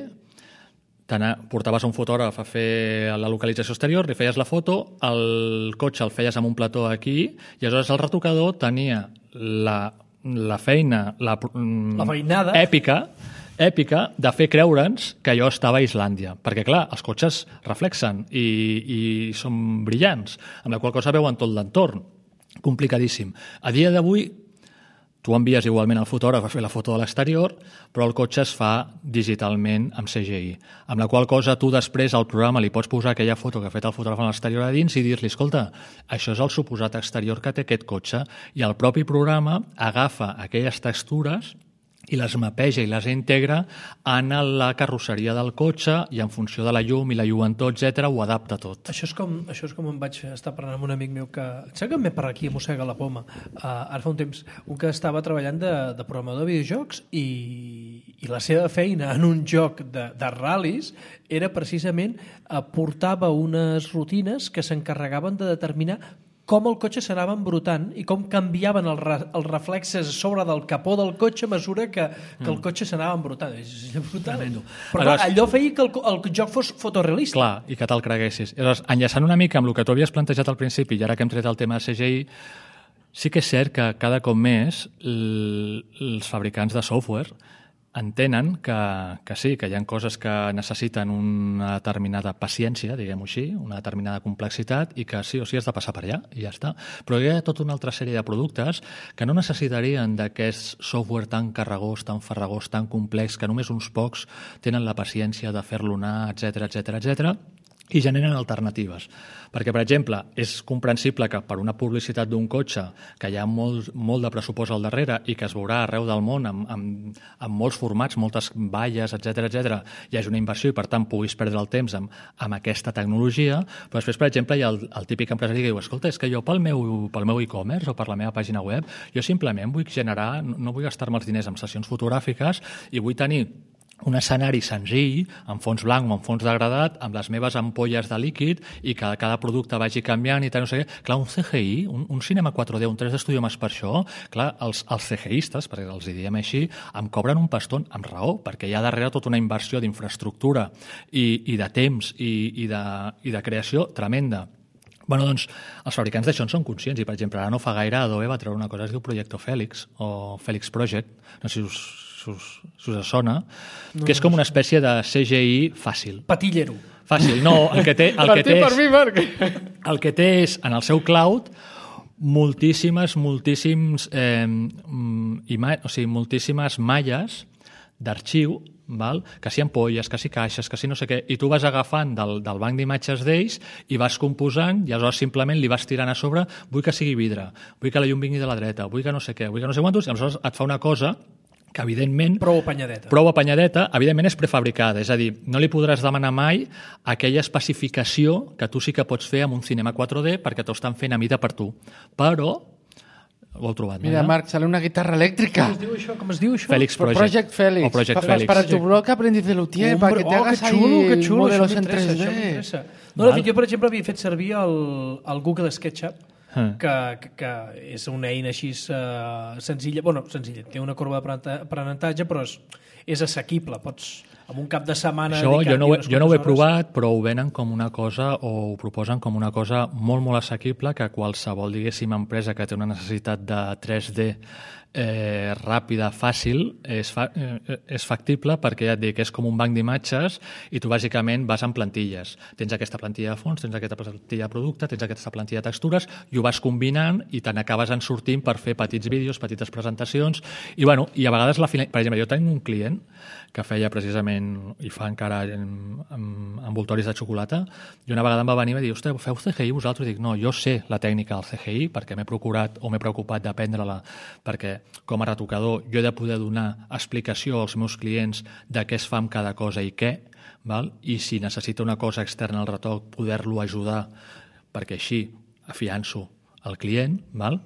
portaves un fotògraf a fer la localització exterior, li feies la foto, el cotxe el feies amb un plató aquí, i aleshores el retocador tenia la, la feina, la, la feinada èpica, èpica de fer creure'ns que allò estava a Islàndia. Perquè, clar, els cotxes reflexen i, i són brillants, amb la qual cosa veuen tot l'entorn. Complicadíssim. A dia d'avui, tu envies igualment al fotògraf a fer la foto de l'exterior, però el cotxe es fa digitalment amb C G I. Amb la qual cosa tu després al programa li pots posar aquella foto que ha fet el fotògraf a l'exterior a dins i dir-li, escolta, això és el suposat exterior que té aquest cotxe, i el propi programa agafa aquelles textures i les mapeja i les integra en la carrosseria del cotxe i en funció de la llum i la lluentor, etcètera, ho adapta tot. Això és com, això és com em vaig estar parlant amb un amic meu que... Sé que em ve per aquí, mossega la poma. Uh, ara fa un temps, un que estava treballant de, de programador de videojocs i, i la seva feina en un joc de, de ral·lis era precisament uh, portava unes rutines que s'encarregaven de determinar com el cotxe s'anava embrutant i com canviaven els, re, els reflexes a sobre del capó del cotxe a mesura que, que el cotxe s'anava embrutant. És brutal. Però clar, allò feia que el, el joc fos fotorealista. Clar, i que te'l creguessis. Llavors, enllaçant una mica amb el que tu havies plantejat al principi, i ara que hem tret el tema de C G I, sí que és cert que cada cop més l, els fabricants de software entenen que, que sí, que hi ha coses que necessiten una determinada paciència, diguem-ho així, una determinada complexitat i que sí o sí has de passar per allà i ja està. Però hi ha tota una altra sèrie de productes que no necessitarien d'aquest software tan carregós, tan farragós, tan complex, que només uns pocs tenen la paciència de fer-lo anar, etcètera, etcètera, etcètera, i generen alternatives. Perquè, per exemple, és comprensible que per una publicitat d'un cotxe que hi ha molt, molt de pressupost al darrere i que es veurà arreu del món amb, amb, amb molts formats, moltes valles, etcètera, etcètera, hi hagi una inversió i, per tant, puguis perdre el temps amb, amb aquesta tecnologia, però després, per exemple, hi ha el, el típic empresari que diu, escolta, és que jo pel meu, pel meu e-commerce o per la meva pàgina web, jo simplement vull generar, no vull gastar-me els diners en sessions fotogràfiques i vull tenir un escenari senzill, amb fons blanc o amb fons degradat, amb les meves ampolles de líquid i que cada producte vagi canviant i tal, no sé què. Clar, un C G I, un, un cinema quatre D, un tres D Studio Max per això, clar, els, els CGIistes, perquè els diem així, em cobren un pastón amb raó, perquè hi ha darrere tota una inversió d'infraestructura i, i de temps i, i, de, i de creació tremenda. Bueno, doncs, els fabricants d'això en són conscients i, per exemple, ara no fa gaire Adobe va treure una cosa que es diu Projecto Félix o Félix Project, no sé si us, si us, si us sona, no, que és com una espècie de C G I fàcil. Patillero. Fàcil, no, el que té... El que té per és, mi, Marc. El que té és, en el seu cloud, moltíssimes, moltíssims, eh, ima, o sigui, moltíssimes malles d'arxiu, val? Que si ampolles, que si caixes, que si no sé què, i tu vas agafant del, del banc d'imatges d'ells i vas composant i aleshores simplement li vas tirant a sobre, vull que sigui vidre, vull que la llum vingui de la dreta, vull que no sé què, vull que no sé quantos, i aleshores et fa una cosa que evidentment... Prou apanyadeta. Prou apanyadeta, evidentment és prefabricada, és a dir, no li podràs demanar mai aquella especificació que tu sí que pots fer amb un cinema quatre D perquè t'ho estan fent a mida per tu. Però... Ho heu trobat, Mira, no? Marc, sale una guitarra elèctrica. Com es diu això? Com es diu això? Félix Project. Project Félix. O Project Pa- Félix. Para tu blog aprendiz de luthier, Hombre, para que te oh, hagas que xulo, ahí que xulo, modelos això en m'interessa, tres això D. m'interessa. No, de fet, jo, per exemple, havia fet servir el, el Google SketchUp, Ah. que, que, que és una eina així uh, senzilla, bueno, senzilla, té una corba d'aprenentatge, però és, és assequible, pots amb un cap de setmana... Això jo no, ho he, jo no ho he hores. provat, però ho venen com una cosa, o ho proposen com una cosa molt, molt assequible, que qualsevol, diguéssim, empresa que té una necessitat de tres D eh, ràpida, fàcil, és, fa, eh, és factible perquè ja et dic, és com un banc d'imatges i tu bàsicament vas en plantilles. Tens aquesta plantilla de fons, tens aquesta plantilla de producte, tens aquesta plantilla de textures i ho vas combinant i te n'acabes en sortint per fer petits vídeos, petites presentacions i, bueno, i a vegades, la final... per exemple, jo tinc un client que feia precisament, i fa encara en, en, envoltoris de xocolata, i una vegada em va venir i va dir, ostres, feu C G I vosaltres? I dic, no, jo sé la tècnica del C G I perquè m'he procurat o m'he preocupat d'aprendre-la, perquè com a retocador jo he de poder donar explicació als meus clients de què es fa amb cada cosa i què, val? I si necessita una cosa externa al retoc, poder-lo ajudar, perquè així afianço el client, val?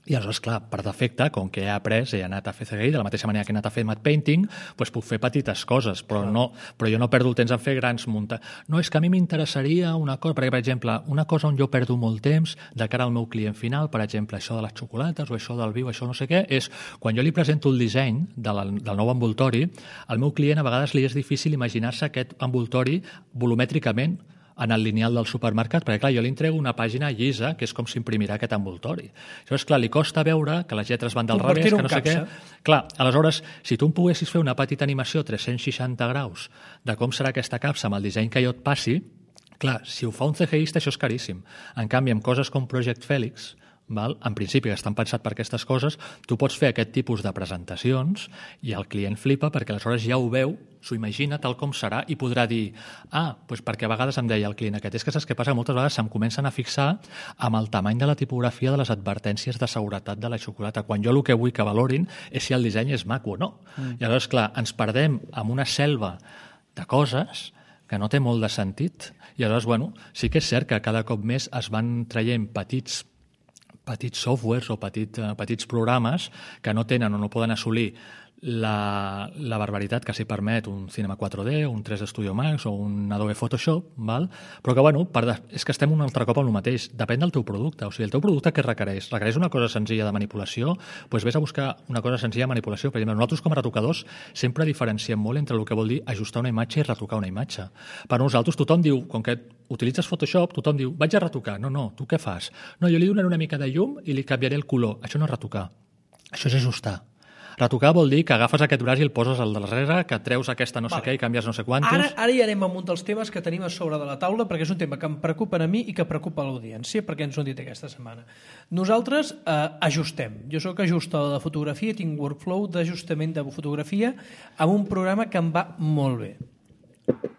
I aleshores, clar, per defecte, com que he après, he anat a fer C G I, de la mateixa manera que he anat a fer matte painting, doncs puc fer petites coses, però, no, però jo no perdo el temps en fer grans muntatges. No, és que a mi m'interessaria una cosa, perquè, per exemple, una cosa on jo perdo molt temps de cara al meu client final, per exemple, això de les xocolates o això del viu, això no sé què, és quan jo li presento el disseny de la, del nou envoltori, al meu client a vegades li és difícil imaginar-se aquest envoltori volumètricament en el lineal del supermercat, perquè clar, jo li entrego una pàgina llisa, que és com s'imprimirà aquest envoltori. Llavors, clar, li costa veure que les lletres van del revés, que no sé què. Clar, aleshores, si tu em poguessis fer una petita animació tres-cents seixanta graus de com serà aquesta capsa amb el disseny que jo et passi, clar, si ho fa un CGista, això és caríssim. En canvi, amb coses com Project Félix, val? En principi, que estan pensats per aquestes coses, tu pots fer aquest tipus de presentacions i el client flipa perquè aleshores ja ho veu, s'ho imagina tal com serà i podrà dir, ah, doncs perquè a vegades em deia el client aquest, és que saps què passa? Moltes vegades se'm comencen a fixar amb el tamany de la tipografia de les advertències de seguretat de la xocolata, quan jo el que vull que valorin és si el disseny és maco o no. Mm. I aleshores, clar, ens perdem amb una selva de coses que no té molt de sentit. I aleshores, bueno, sí que és cert que cada cop més es van traient petits petits softwares o petit, uh, petits programes que no tenen o no poden assolir la, la barbaritat que s'hi permet un Cinema quatre D, un tres D Studio Max o un Adobe Photoshop, val? Però que, bueno, per de... és que estem un altre cop al mateix. Depèn del teu producte. O sigui, el teu producte què requereix? Requereix una cosa senzilla de manipulació? Doncs vés a buscar una cosa senzilla de manipulació. Per exemple, nosaltres com a retocadors sempre diferenciem molt entre el que vol dir ajustar una imatge i retocar una imatge. Per nosaltres tothom diu, com que utilitzes Photoshop, tothom diu, vaig a retocar. No, no, tu què fas? No, jo li donaré una mica de llum i li canviaré el color. Això no és retocar. Això és ajustar. Retocar vol dir que agafes aquest braç i el poses al darrere, que treus aquesta no sé vale. Què i canvies no sé quantos... Ara, ara hi anem amb un dels temes que tenim a sobre de la taula, perquè és un tema que em preocupa a mi i que preocupa a l'audiència, perquè ens ho han dit aquesta setmana. Nosaltres eh, ajustem. Jo sóc ajustador de fotografia, tinc workflow d'ajustament de fotografia amb un programa que em va molt bé.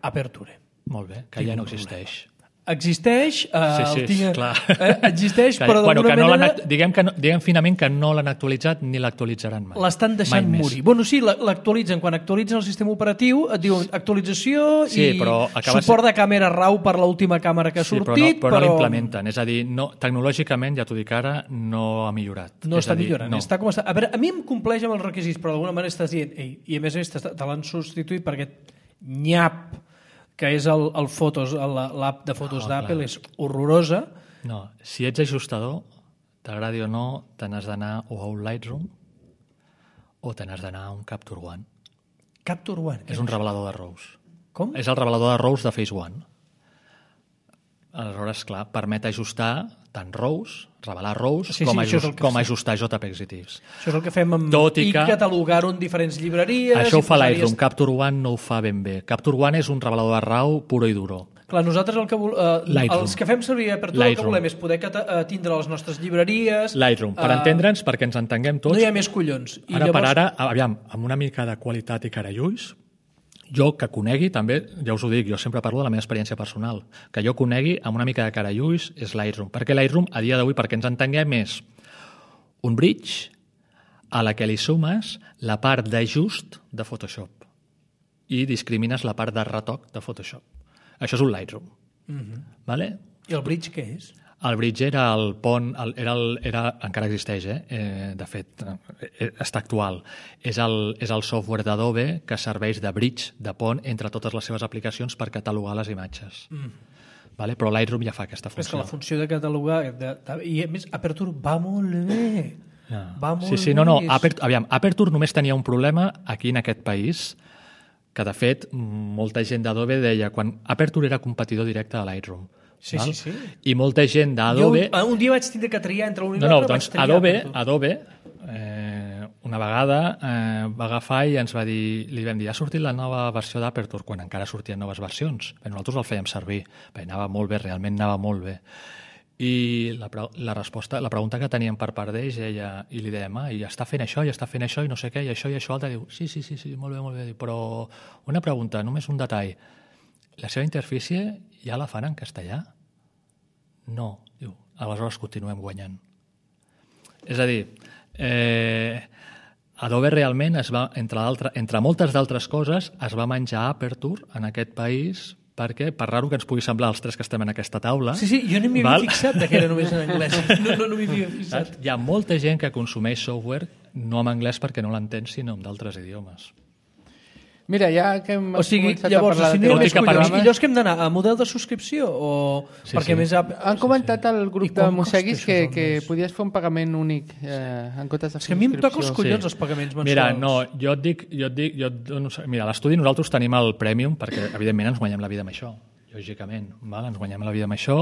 Aperture. Molt bé, que tinc ja no existeix. Existeix, eh, sí, sí, el tinc, clar. Eh, existeix, que, però bueno, d'alguna no manera... Diguem, que no, diguem finament que no l'han actualitzat ni l'actualitzaran mai. L'estan deixant mai morir. Bueno, sí, l'actualitzen. Quan actualitzen el sistema operatiu et diuen actualització sí, i suport ser... de càmera RAW per l'última càmera que ha sí, sortit, però no, però, però... no l'implementen. És a dir, no, tecnològicament, ja t'ho dic ara, no ha millorat. No és està dir, millorant. No. Està com està. A veure, a mi em compleix amb els requisits, però d'alguna manera estàs dient, ei, i a més a més te l'han substituït per aquest nyap que és el, el Fotos, l'app de fotos oh, d'Apple, és horrorosa. No, si ets ajustador, t'agradi o no, te n'has d'anar o a un Lightroom o te n'has d'anar a un Capture One. Capture One? És un revelador de RAWs. Com? És el revelador de RAWs de Phase One. Aleshores, clar, permet ajustar tant RAWs, revelar RAWs, sí, com, sí, ajust, com fem. ajustar JPEGs i TIFFs. Això és el que fem amb... Tot i, I que... catalogar-ho en diferents llibreries... Això ho fa posaries... Lightroom, Capture One no ho fa ben bé. Capture One és un revelador de RAW puro i duro. Clar, nosaltres el que vol, eh, els que fem servir per tot el que volem és poder cata, tindre les nostres llibreries... Lightroom, per uh, entendre'ns, perquè ens entenguem tots... No hi ha més collons. I ara llavors... per ara, aviam, amb una mica de qualitat i carallulls, jo que conegui, també, ja us ho dic, jo sempre parlo de la meva experiència personal, que jo conegui amb una mica de carallulls és Lightroom, perquè Lightroom, a dia d'avui, perquè ens entenguem, és un bridge a la que li sumes la part d'ajust de Photoshop i discrimines la part de retoc de Photoshop. Això és un Lightroom. Mm-hmm. Vale? I el bridge què és? El bridge era el pont, el, era el, era, encara existeix, eh? Eh, de fet, eh, està actual. És el, és el software d'Adobe que serveix de bridge, de pont, entre totes les seves aplicacions per catalogar les imatges. Mm. Vale? Però Lightroom ja fa aquesta funció. És que la funció de catalogar... De, de, I a més, Aperture va molt bé. Ja. Va molt sí, sí, bé. No, no, Aperture, aviam, Aperture només tenia un problema aquí en aquest país, que de fet molta gent d'Adobe deia quan Aperture era competidor directe de Lightroom. Sí, val? sí, sí. I molta gent d'Adobe... Un, un dia vaig tindre que triar entre un i no, no, l'altre. Doncs Adobe, Adobe eh, una vegada eh, va agafar i ens va dir, li vam dir, ha sortit la nova versió d'Aperture, quan encara sortien noves versions. Bé, nosaltres el fèiem servir. Bé, anava molt bé, realment anava molt bé. I la, la resposta, la pregunta que teníem per part d'ells, ella, i li dèiem, ah, i està fent això, i està fent això, i no sé què, i això, i això, altre, diu, sí, sí, sí, sí, molt bé, molt bé, però una pregunta, només un detall. La seva interfície ja la fan en castellà? No. Diu, aleshores continuem guanyant. És a dir, eh, Adobe realment es va, entre, entre moltes d'altres coses, es va menjar Aperture en aquest país perquè, per raro que ens pugui semblar els tres que estem en aquesta taula... Sí, sí, jo no m'hi havia fixat que era només en anglès. No, no, no m'hi havia fixat. Hi ha molta gent que consumeix software no en anglès perquè no l'entén, sinó en d'altres idiomes. Mira, ja que hem o sigui, començat llavors, a parlar si de no hi ha més collons, programes... i llavors que hem d'anar a model de subscripció? O... Sí, perquè sí. més ha... Han comentat sí, sí. al grup de Mosseguis que, que podies fer un pagament únic eh, en comptes de subscripció. És que a mi em toca els collons sí. els pagaments mensuals. Mira, no, jo et dic... Jo et dic jo et dono, mira, a l'estudi nosaltres tenim el Premium perquè, evidentment, ens guanyem la vida amb això. Lògicament, val? Ens guanyem la vida amb això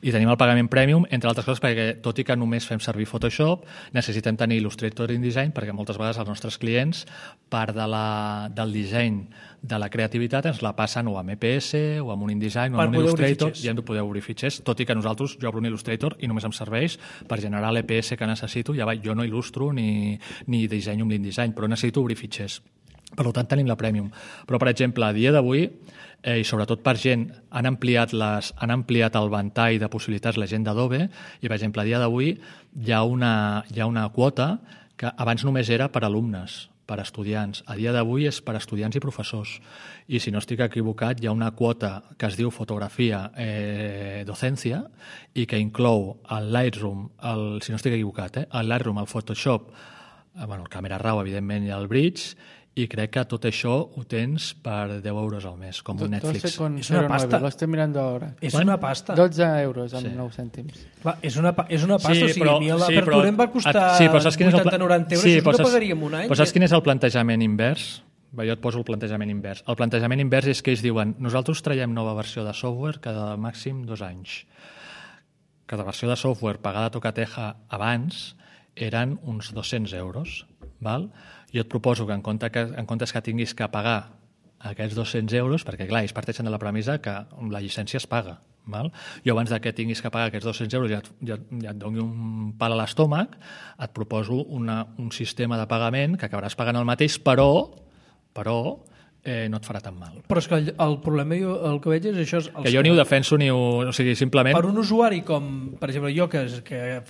i tenim el pagament Premium, entre altres coses perquè tot i que només fem servir Photoshop necessitem tenir Illustrator InDesign perquè moltes vegades els nostres clients part de la, del disseny de la creativitat ens la passen o amb E P S o amb un InDesign o amb un Illustrator i hem de poder obrir fitxers, tot i que nosaltres jo obro un Illustrator i només em serveix per generar l'E P S que necessito, ja va, jo no il·lustro ni, ni dissenyo amb l'InDesign, però necessito obrir fitxers. Per tant, tenim la Premium. Però, per exemple, a dia d'avui, eh, i sobretot per gent, han ampliat, les, han ampliat el ventall de possibilitats la gent d'Adobe, i, per exemple, a dia d'avui hi ha una, hi ha una quota que abans només era per alumnes, per estudiants. A dia d'avui és per estudiants i professors. I, si no estic equivocat, hi ha una quota que es diu fotografia eh, docència i que inclou el Lightroom, el, si no estic equivocat, eh, el Lightroom, el Photoshop, bueno, el Camera Raw, evidentment, i el Bridge, i crec que tot això ho tens per deu euros al mes, com un Netflix. És una pasta. Lo estoy mirando ahora. És una pasta. dotze euros amb Sí. nou cèntims. Clar, és una, pa- és una pasta, Sí, o sigui, però- a mi sí, l'apertura però- em va costar sí, però saps quin és el pla- vuitanta noranta euros, Sí, això però és que saps- pagaríem un any. Però saps quin és el plantejament invers? Bé, jo et poso el plantejament invers. El plantejament invers és que ells diuen nosaltres traiem nova versió de software cada màxim dos anys. Cada versió de software pagada a Tocateja abans eren uns dos-cents euros. Val? Jo et proposo que en, compte que en comptes que tinguis que pagar aquests dos-cents euros, perquè clar, ells parteixen de la premissa que la llicència es paga. Val? Jo abans de que tinguis que pagar aquests dos-cents euros i ja, ja, ja et doni un pal a l'estómac, et proposo una, un sistema de pagament que acabaràs pagant el mateix, però, però eh, no et farà tan mal. Però és que el, el problema, jo, el que veig és això... És els Que jo ni ho defenso ni ho... O sigui, simplement... Per un usuari com, per exemple, jo, que, que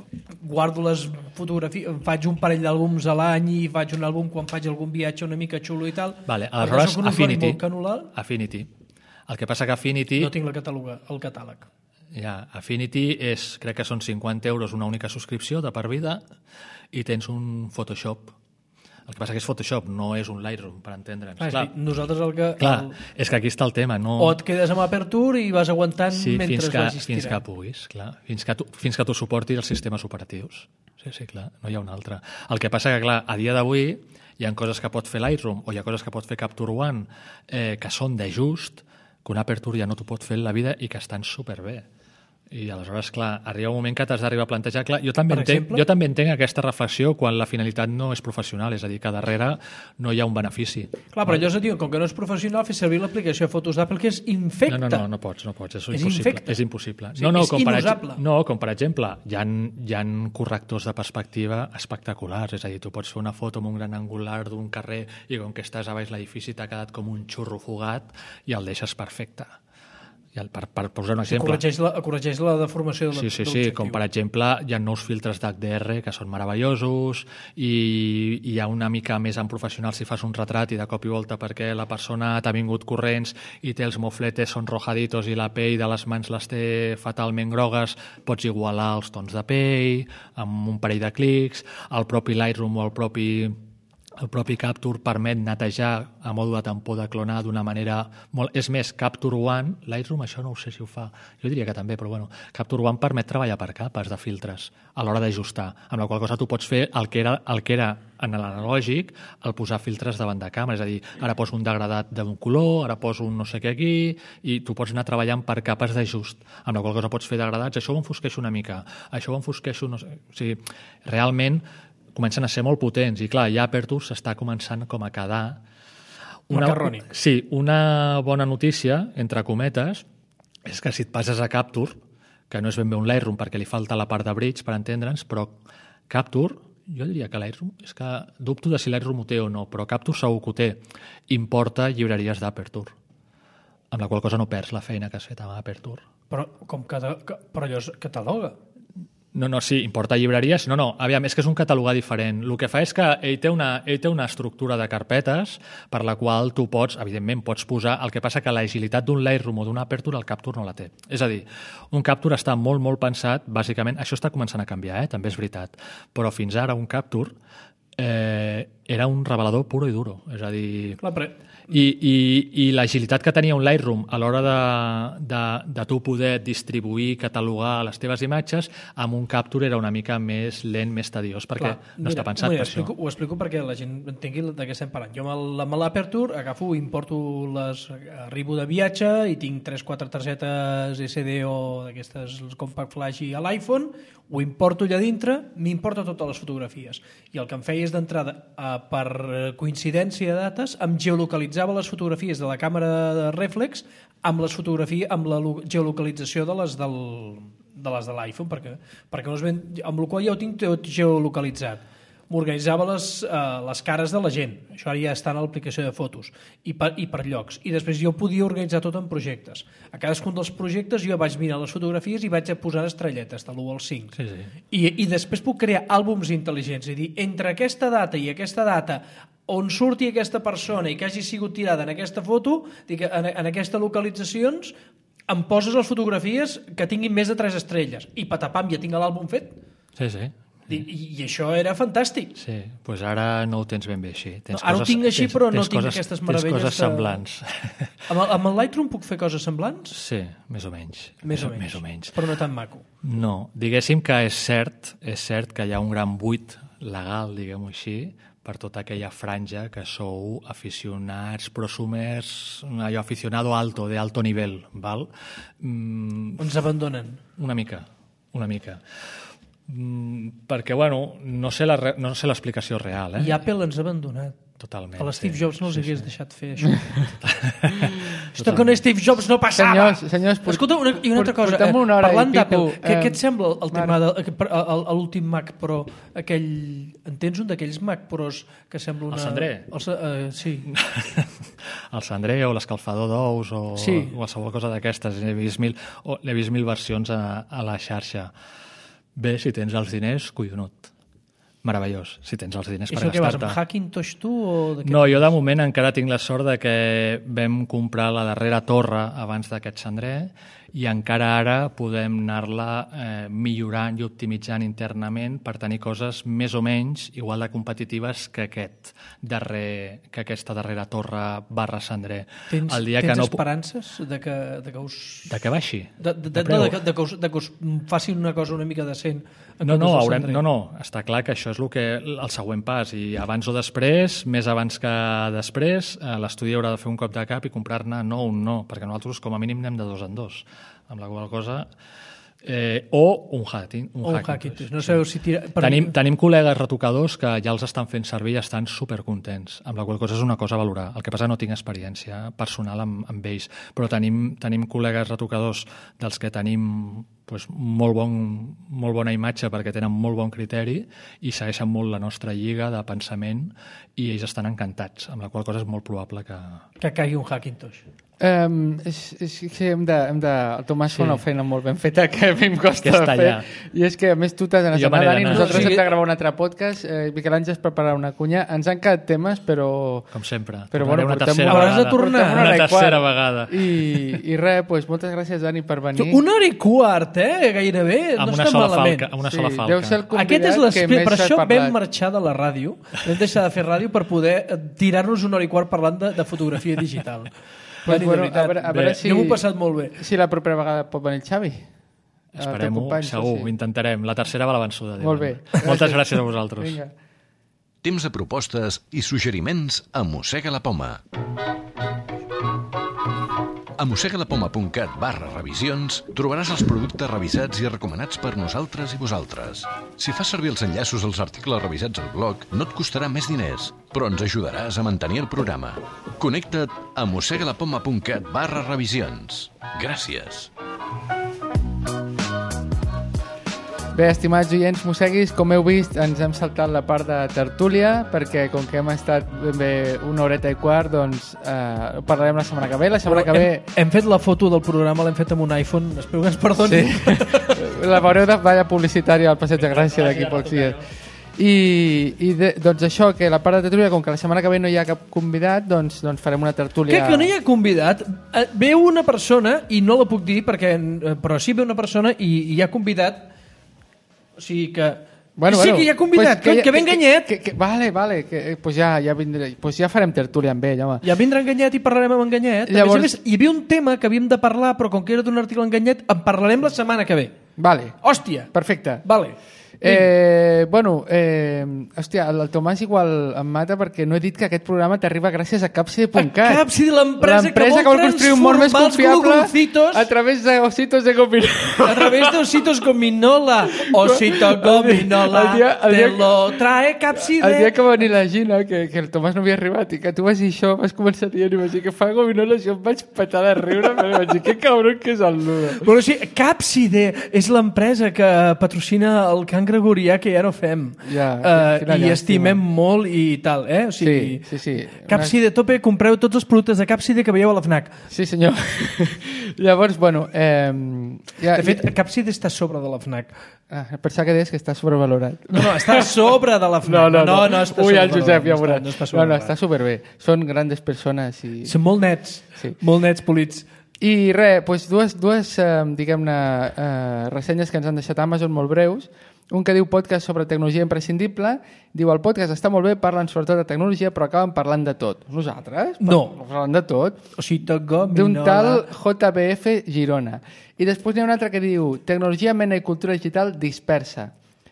guardo les fotografies, faig un parell d'àlbums a l'any i faig un àlbum quan faig algun viatge una mica xulo i tal... Vale, perquè aleshores, soc un usuari Affinity. molt canulal, Affinity. El que passa que Affinity... no tinc la catàloga, el catàleg. Ja, Affinity és, crec que són cinquanta euros una única subscripció de per vida i tens un Photoshop. El que passa que és Photoshop, no és un Lightroom, per entendre'ns. Ah, Clar, és dir, nosaltres el que... clar el... és que aquí està el tema. No... O et quedes amb Aperture i vas aguantant sí, mentre fins que, vagis fins que tirant. puguis, clar. Fins que tu, fins que tu suportis els sistemes operatius. Sí, sí, clar, no hi ha un altre. El que passa que, clar, a dia d'avui hi ha coses que pot fer Lightroom o hi ha coses que pot fer Capture One eh, que són de just, que una Aperture ja no t'ho pot fer en la vida i que estan superbé. I aleshores, clar, arriba un moment que t'has d'arribar a plantejar... Clar, jo també, Per entenc, exemple? jo també entenc aquesta reflexió quan la finalitat no és professional, és a dir, que darrere no hi ha un benefici. Clar, però allò és a dir, com que no és professional, fer servir l'aplicació de fotos d'Apple, que és infecta. No, no, no, no pots, no pots, és, És impossible. infecte. És impossible. Sí, no, no, és com per, inusable. no, com per exemple, hi ha, hi ha correctors de perspectiva espectaculars, és a dir, tu pots fer una foto amb un gran angular d'un carrer i com que estàs a baix l'edifici t'ha quedat com un xurro fugat i el deixes perfecte. I el, per, per posar un exemple... Corregeix la, corregeix la deformació de Sí, sí, sí, l'objectiu. com per exemple hi ha nous filtres d'H D R que són meravellosos i hi ha una mica més en professional si fas un retrat i de cop i volta perquè la persona t'ha vingut corrents i té els mofletes són rojaditos i la pell de les mans les té fatalment grogues, pots igualar els tons de pell amb un parell de clics, el propi Lightroom o el propi el propi Capture permet netejar a mode de tampó de clonar d'una manera molt... És més, Capture One, Lightroom això no ho sé si ho fa, jo diria que també, però bueno, Capture One permet treballar per capes de filtres a l'hora d'ajustar, amb la qual cosa tu pots fer el que era, el que era en l'analògic, el posar filtres davant de càmera, és a dir, ara poso un degradat d'un color, ara poso un no sé què aquí, i tu pots anar treballant per capes d'ajust, amb la qual cosa pots fer degradats, això ho enfosqueixo una mica, això ho enfosqueixo, no sé... O sigui, realment comencen a ser molt potents i clar, ja Aperture s'està començant com a quedar una, Macarrònic. sí, una bona notícia, entre cometes, és que si et passes a Capture, que no és ben bé un Lightroom perquè li falta la part de Bridge per entendre'ns, però Capture, jo diria que Lightroom, és que dubto de si Lightroom ho té o no, però Capture segur que ho té, importa llibreries d'Aperture, amb la qual cosa no perds la feina que has fet amb Aperture. Però, com que, que, però allò és cataloga. No, no, sí, importa llibreries. No, no, aviam, és que és un catalogar diferent. El que fa és que ell té una, ell té una estructura de carpetes per la qual tu pots, evidentment, pots posar... El que passa que l'agilitat d'un Lightroom o d'una Aperture, el Capture no la té. És a dir, un Capture està molt, molt pensat, bàsicament, això està començant a canviar, eh? També és veritat, però fins ara un Capture eh, era un revelador puro i duro. És a dir... Clar, però... I, i, i l'agilitat que tenia un Lightroom a l'hora de, de, de tu poder distribuir, catalogar les teves imatges, amb un Capture era una mica més lent, més tediós, perquè Clar, no està pensat mira, per explico, això. Ho explico perquè la gent entengui de què estem parlant. Jo amb l'Aperture agafo, importo les... Arribo de viatge i tinc tres quatre targetes S D o d'aquestes compact flash a l'iPhone, ho importo allà dintre, m'importa totes les fotografies. I el que em feia és d'entrada, eh, per coincidència de dates, em geolocalitzava les fotografies de la càmera de reflex amb les fotografies, amb la geolocalització de les del, de les de l'iPhone, perquè, perquè no es ven, amb la qual ja ho tinc tot geolocalitzat. M'organitzava les, eh, les cares de la gent, això ara ja està a l'aplicació de fotos, i per, i per llocs, i després jo podia organitzar tot en projectes. A cadascun dels projectes jo vaig mirar les fotografies i vaig posar estrelletes de l'u al cinc. Sí, sí. I, I després puc crear àlbums intel·ligents, és a dir, entre aquesta data i aquesta data on surti aquesta persona i que hagi sigut tirada en aquesta foto, dic, en, en aquestes localitzacions, em poses les fotografies que tinguin més de tres estrelles, i patapam, ja tinc l'àlbum fet. Sí, sí. I, I això era fantàstic. Sí, doncs pues ara no ho tens ben bé així. Tens No, ara ho coses, tinc així, tens, però no tens tinc coses, aquestes meravelles Tens coses de- semblants. Amb el, amb el Lightroom puc fer coses semblants? Sí, més o menys. Més o menys. Més o menys. Però no tan maco. No, diguéssim que és cert, és cert que hi ha un gran buit legal, diguem-ho així, per tota aquella franja que sou aficionats, prosumers, allò aficionado alto, de alto nivel, val? Mm, Ens abandonen. una mica, una mica. Mm, perquè, bueno, no sé la re- no sé l'explicació real, eh? I Apple ens ha abandonat. Totalment. A l'Steve sí. Jobs no els Sí, hagués sí. deixat fer això. Esto con Steve Jobs no passava. Senyors, senyors, port- Escolta, una, i una altra cosa. portem Eh, una hora i parlant d'Apple, pico, què, eh, què et sembla el tema Marc. de, que- el- el- l'últim Mac Pro, aquell... En tens un d'aquells Mac Pros que sembla una... El Sandré? El, sa- eh, sí. El cendrer o l'escalfador d'ous o Sí. qualsevol cosa d'aquestes. N'he vist mil, o, n'he vist mil versions a, a la xarxa. Bé, si tens els diners, collonut. Meravellós, si tens els diners I per això què vas, amb gastar-te. Hackintosh tu o de què? No, jo de moment encara tinc la sort de que vam comprar la darrera torre abans d'aquest cendrer i encara ara podem anar-la eh, millorant i optimitzant internament per tenir coses més o menys igual de competitives que aquest darrer, que aquesta darrera torre barra cendrer. Tens, El dia tens que no, esperances de que, de que us... de que baixi? De, de, de, De de, preu? de, que- de, que us, de que us facin una cosa una mica decent. en No, no, comptes del haurem, cendrer. no, no, està clar que això és el, que, el següent pas i abans o després, més abans que després, eh, l'estudi haurà de fer un cop de cap i comprar-ne no un no, perquè nosaltres com a mínim anem de dos en dos, amb la qual cosa... Eh, o un hacking. Un O un hacking, Hackintosh. No sabeu si tira... Per... Tenim, tenim col·legues retocadors que ja els estan fent servir i estan supercontents, amb la qual cosa és una cosa a valorar. El que passa no tinc experiència personal amb, amb ells, però tenim, tenim col·legues retocadors dels que tenim pues, molt, bon, molt bona imatge perquè tenen molt bon criteri i segueixen molt la nostra lliga de pensament i ells estan encantats, amb la qual cosa és molt probable que... Que caigui un Hackintosh. Um, és, és que hem de, hem de... El Tomàs Sí. fa una feina molt ben feta que a mi em costa Que està fer. allà. I és que, a més, tu t'has d'anar I jo a me n'he Dani, d'anar. nosaltres No, sí. hem de gravar un altre podcast, eh, Miquel Àngels preparar una cunya. Ens han quedat temes, però... Com sempre. Però, Tornaré bueno, una portem tercera una- Hauràs de vegada. tornar. portem Una hora i tercera quart. vegada. I, i res, doncs, moltes gràcies, Dani, per venir. Una hora i quart, eh? Gairebé. Amb no una està sola malament. falca. Amb una Sí, sola falca. deu ser el convidat Aquest és que l'esperit. més Per s'ha això parlat. vam marxar de la ràdio. Vam deixar de fer ràdio per poder eh, tirar-nos una hora i quart parlant de, de fotografia digital. Pues, Dani, bueno, de veritat. a veure, a veure Bé. si, Jo m'ho he passat molt bé. si la propera vegada pot venir el Xavi. El teu Esperem-ho, company, segur, sí. ho intentarem. La tercera va a la vençuda. Molt diuen. bé. Moltes gràcies a vosaltres. Vinga. Temps de propostes i suggeriments a Mossega la Poma. A mossegalapoma.cat barra revisions trobaràs els productes revisats i recomanats per nosaltres i vosaltres. Si fas servir els enllaços als articles revisats al blog, no et costarà més diners, però ens ajudaràs a mantenir el programa. Connecta't a mossegalapoma.cat barra revisions. Gràcies. Bé, estimats oients mosseguis, com heu vist, ens hem saltat la part de tertúlia, perquè com que hem estat ben bé una horeta i quart, doncs eh, ho parlarem la setmana que ve. La setmana que ve... Hem, hem fet la foto del programa, l'hem fet amb un iPhone. Espero que ens perdoni. Sí. La veureu de balla publicitària al Passeig de Gràcia d'aquí a pocs dies. I, i de, doncs això, que la part de tertúlia, com que la setmana que ve no hi ha cap convidat, doncs, doncs farem una tertúlia... Que, que no hi ha convidat. Eh, Ve una persona, i no la puc dir, perquè, eh, però sí ve una persona i, i hi ha convidat. O sigui que... Bueno, sí, bueno, que hi ha convidat, pues que, que, ve enganyet. Que, que, que, vale, vale, que, eh, pues ja, ja, vindré, pues ja farem tertúlia amb ell, home. Ja vindrà enganyet i parlarem amb enganyet. Llavors- A més a més, hi havia un tema que havíem de parlar, però com que era d'un article enganyet, en parlarem la setmana que ve. Vale, Hòstia! perfecte. Vale. Eh, bueno, eh, hòstia, el, el Tomàs igual em mata perquè no he dit que aquest programa t'arriba gràcies a Capside punt cat. A Capside, l'empresa que vol construir un món més transformar els confiable glugolcitos a través de ositos de gominola. a través de ositos gominola. Osito gominola, El dia- el te dia- lo trae Capside. El dia que va venir la Gina, que, que el Tomàs no havia arribat i que tu vas dir això, vas començar dient i vaig dir que fa gominola, jo em vaig petar de riure, però vaig dir que cabron que és el nudo. Bueno, sí, Capside és l'empresa que patrocina el cant gregorià que ja no fem. Ja, Eh, quina I llàstima. estimem molt i tal, eh? O sigui, Sí, sí, sí. Capside a tope, compreu tots els productes de Capside que veieu a la FNAC. Sí, senyor. Llavors, bueno... Eh, ja, De fet, Capside està a sobre de la FNAC. Ah, pensava que deies que està sobrevalorat. No, no, està a sobre de la FNAC. No, no, no. no, no està Ui, el sobrevalorat, Josep, ja no veuràs. està- No, està no, no, sobrevalorat. està superbé. Són grandes persones i... Són molt nets, Sí. molt nets polits. I res, doncs dues, dues eh, diguem-ne, eh, ressenyes que ens han deixat a Amazon molt breus. un que diu podcast sobre tecnologia imprescindible, diu el podcast està molt bé, parlen sobretot de tecnologia, però acaben parlant de tot. Nosaltres? No. Parlant de tot. O sigui, toco, D'un tal J B F Girona. I després n'hi ha un altre que diu tecnologia, mena i cultura digital dispersa.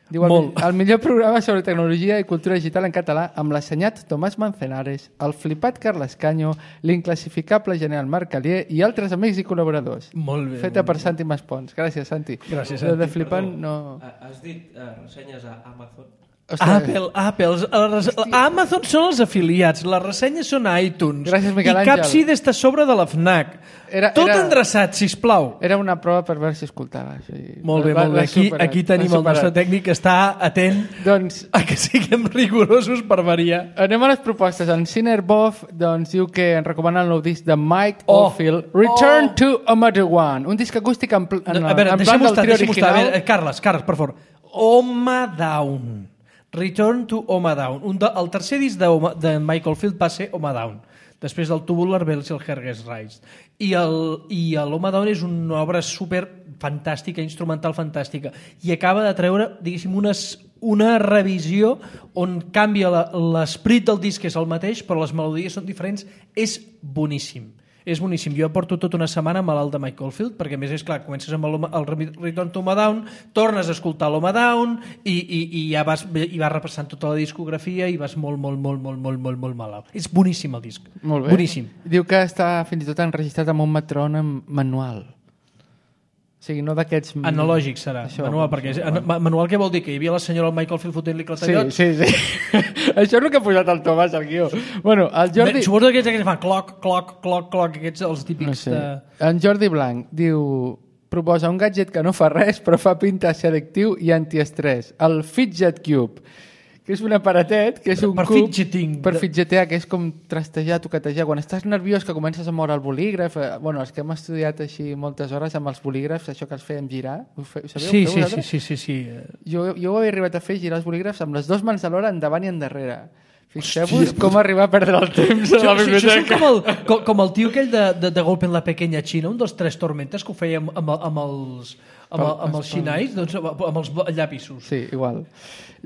Diu el, el millor programa sobre tecnologia i cultura digital en català amb l'assenyat Tomàs Manzanares, el flipat Carles Canyo, l'inclassificable general Marc Calier i altres amics i col·laboradors. Molt bé. Feta per Santi Maspons. Gràcies, Santi. Gràcies, Santi. De flipant, no... Has dit uh, ressenyes a Amazon? Ostres. Apple, Apple. Les, Amazon són els afiliats, les ressenyes són a iTunes. Gràcies, Miquel I Àngel. Capsid està a sobre de la FNAC. Era, Tot era, endreçat, sisplau. Era una prova per veure si escoltava. Sí. Molt bé, Va, molt bé. Aquí, superat, aquí tenim el nostre tècnic que està atent doncs, a que siguem rigorosos per variar. anem a les propostes. En Cinerboff doncs, diu que ens recomana el nou disc de Mike Oh. Oldfield, Return Oh. to Another One. Un disc acústic en, pl en, No, a veure, en plan deixem-ho del estar, trio deixem-ho estar. A original. veure, Carles, Carles, per favor. Home Down. Return to Home Down. Un de, el tercer disc de, Home, de Michael Field va ser Home Down. Després del Tubular Bells i el Herges Rise. I el, i el Home Down és una obra super fantàstica, instrumental fantàstica. I acaba de treure, diguéssim, unes, una revisió on canvia l'esprit del disc, que és el mateix, però les melodies són diferents. És boníssim. És boníssim. Jo porto tota una setmana malalt de Michael Field, perquè a més és clar, comences amb el, el Return to Home Down, tornes a escoltar l'Home Down i, i, i ja vas, i vas repassant tota la discografia i vas molt, molt, molt, molt, molt, molt, molt malalt. És boníssim el disc. Molt bé. Boníssim. Diu que està fins i tot enregistrat amb un metrònom manual. O sigui, no d'aquests... Analògic serà, Això, manual, perquè és, an, manual què vol dir? Que hi havia la senyora Michael Field fotent-li Sí, clatellots? sí, sí. Això és el que ha posat el Tomàs al guió. Bueno, el Jordi... Suposo que aquests que fan cloc, cloc, cloc, cloc, aquests els típics No sé. de... En Jordi Blanc diu... Proposa un gadget que no fa res, però fa pinta selectiu i antiestrès. El Fidget Cube, que és un aparatet, que és un Per cub... fidgeting. Per fidgetear, que és com trastejar, toquetejar. Quan estàs nerviós, que comences a moure el bolígraf... Eh, bueno, els que hem estudiat així moltes hores amb els bolígrafs, això que els fèiem girar, ho, fe, ho sabeu? Sí, Ho feu sí, sí, vosaltres? sí, sí, sí. Jo, jo ho he arribat a fer, girar els bolígrafs amb les dues mans alhora, endavant i endarrere. Fixeu-vos com arribar a perdre el temps a la Això, això és biblioteca. com el, com, com el tio aquell de, de, de Golpe en la Pequeña China, un dels tres tormentes que ho feia amb, amb, amb els, amb, el, amb els xinais, doncs, amb, amb els llapisos. Sí, igual.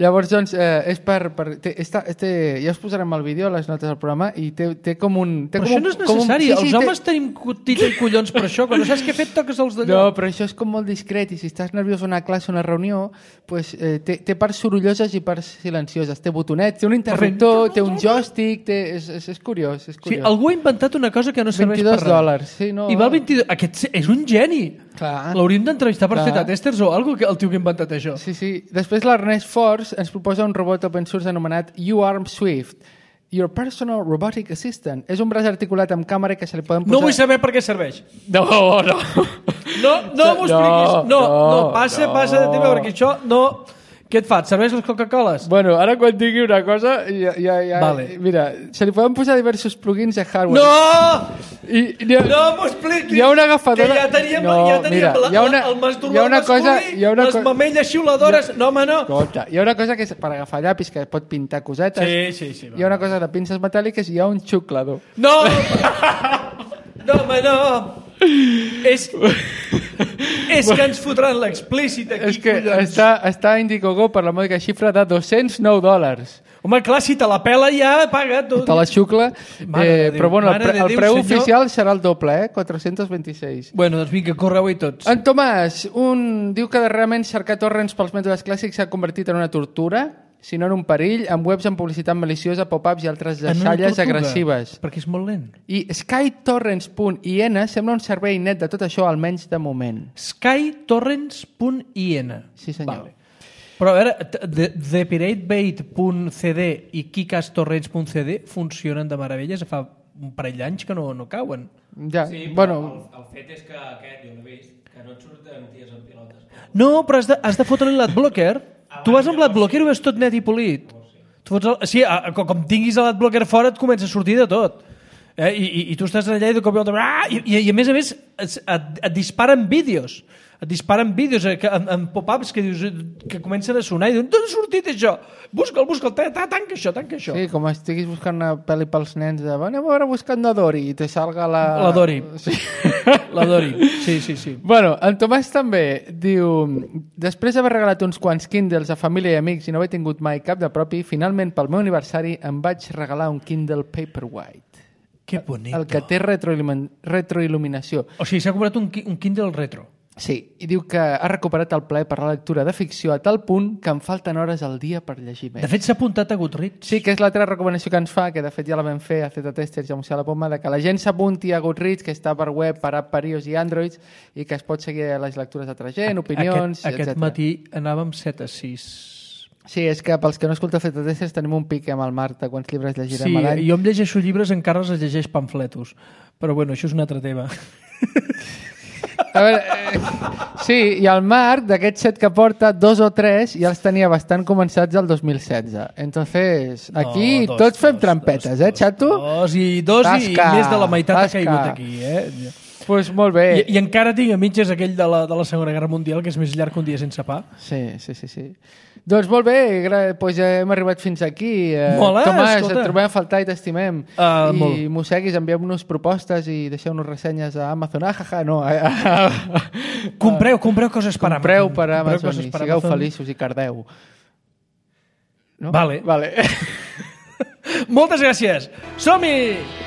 Llavors, doncs, eh, és per... per té, està, té, ja us posarem el vídeo a les notes del programa i té, té com un... Té Però com això un, no és com un- necessari. sí, Els sí, homes tenim tita i collons per això. Quan no saps què he fet, toques els d'allò. No, però això és com molt discret i si estàs nerviós a una classe o una reunió, pues, eh, té, té parts sorolloses i parts silencioses. Té botonets, té un interruptor, té un joystick, té, és, és, és curiós. És Sí, curiós. algú ha inventat una cosa que no serveix per vint-i-dos res. dòlars, sí, no. I val vint-i-dos... Aquest és un geni. Clar. L'hauríem d'entrevistar per Clar. fer testers o alguna cosa, el tio que ha inventat això. Sí, sí. Després l'Ernest Force ens proposa un robot open source anomenat U-Arm Swift. Your Personal Robotic Assistant. És un braç articulat amb càmera que se li poden posar... No vull saber per què serveix. No, no. No, no m'ho expliquis. No, no, no, passa, no, passa de tema, no. perquè això no... Què et fa? Et serveix les Coca-Coles? Bueno, ara quan digui una cosa, ja, ja, ja, Vale. mira, se li poden posar diversos plugins de hardware. No! I, i, No m'ho expliquis! Hi ha una agafadora... Que ja teníem, No, ja teníem mira, la, hi ha una- la, el masturbo hi ha una cosa- masculí, hi ha una les co- mamelles xiuladores... No, home, no! Escolta, hi ha una cosa que és per agafar llapis que pot pintar cosetes. Sí, sí, sí. Hi ha una cosa de pinces metàl·liques i hi ha un xuclador. No! No, home, no! És... És que ens fotran l'explícit aquí, És que collons. està, està a Indiegogo per la mòdica xifra de dos-cents nou dòlars. Home, clar, si te la pela ja paga tot. Te la xucla. Mare de Eh, Déu, però bueno, el, mare pre de el Déu, preu senyor. oficial serà el doble, eh? quatre-cents vint-i-sis. Bueno, doncs vinga, correu-hi tots. En Tomàs, un, diu que darrerament cercar torrents pels mètodes clàssics s'ha convertit en una tortura, si no en un perill, amb webs amb publicitat maliciosa, pop-ups i altres En una deixalles tortuga, agressives. Perquè és molt lent. I skytorrents punt i ena sembla un servei net de tot això, almenys de moment. skytorrents punt i ena. Sí, senyor. Vale. Però a veure, the pirate bait punt c d i kicastorrents punt c d funcionen de meravelles. Fa un parell d'anys que no, no cauen. Ja, Sí, però bueno, el, el fet és que aquest, jo l'he vist, que no et surten ties en pilotes. No, però has de, has de fotre-li l'adblocker. Tu vas amb l'adblocker i ho veus tot net i polit. Tu fots el, sí, a, a, com tinguis l'adblocker fora et comença a sortir de tot. Eh? I, i, I tu estàs allà i de cop i volta... Ah! I, i, I a més a més et, et, et disparen vídeos. Et disparen vídeos eh, que, en, en pop-ups que dius que comencen a sonar i diuen d'on ha sortit això? Busca'l, busca'l, ta, ta, tanca això, tanca això. sí, com estiguis buscant una pel·li pels nens de anem a veure buscant la Dori i te salga la... La Dori. Sí. L'adorin. Sí, sí, sí. Bueno, en Tomàs també diu: després d'haver regalat uns quants Kindles a família i amics i no haver tingut mai cap de propi, finalment pel meu aniversari em vaig regalar un Kindle Paperwhite. Que bonito. El que té retroilumin- retroil·luminació. O sigui, s'ha comprat un, qui- un Kindle retro. Sí, i diu que ha recuperat el plaer per la lectura de ficció a tal punt que em falten hores al dia per llegir més. De fet, s'ha apuntat a Goodreads. Sí, que és l'altra recomanació que ens fa, que de fet ja la vam fer a Z Testers i a Museu a la Poma, de que la gent s'apunti a Goodreads, que està per web, per app, per iOS i Android, i que es pot seguir les lectures d'altra gent, opinions, Aquest, aquest etcètera. matí anàvem set a sis. Sí, és que pels que no escolteu Z Testers tenim un pic amb el Marc de quants llibres llegirem Sí, a l'any. jo em llegeixo llibres, encara els llegeix pamfletos. Però bueno, això és un altre tema. A veure, eh, sí, i el Marc, d'aquests set que porta, dos o tres ja els tenia bastant començats el dos mil setze. Entonces, aquí No, dos, tots fem dos, trampetes, dos, eh, xato? Dos i dos Tasca, i més de la meitat tasca. ha caigut aquí, eh? Doncs pues molt bé. I, I encara tinc a mitges aquell de la, de la Segona Guerra Mundial, que és més llarg que un dia sense pa. Sí, sí, sí, sí. Doncs molt bé, gra- pues ja hem arribat fins aquí. Eh, Molt bé, Tomàs, escolta. et trobem a faltar i t'estimem. Uh, I molt. mosseguis, envieu-nos propostes i deixeu-nos ressenyes a Amazon. Ah, jaja, no. A, a, a, Compreu, compreu coses per compreu Amazon. per Compreu Amazon coses i per sigueu Amazon. feliços i cardeu. No? Vale. Vale. Moltes gràcies. Som-hi!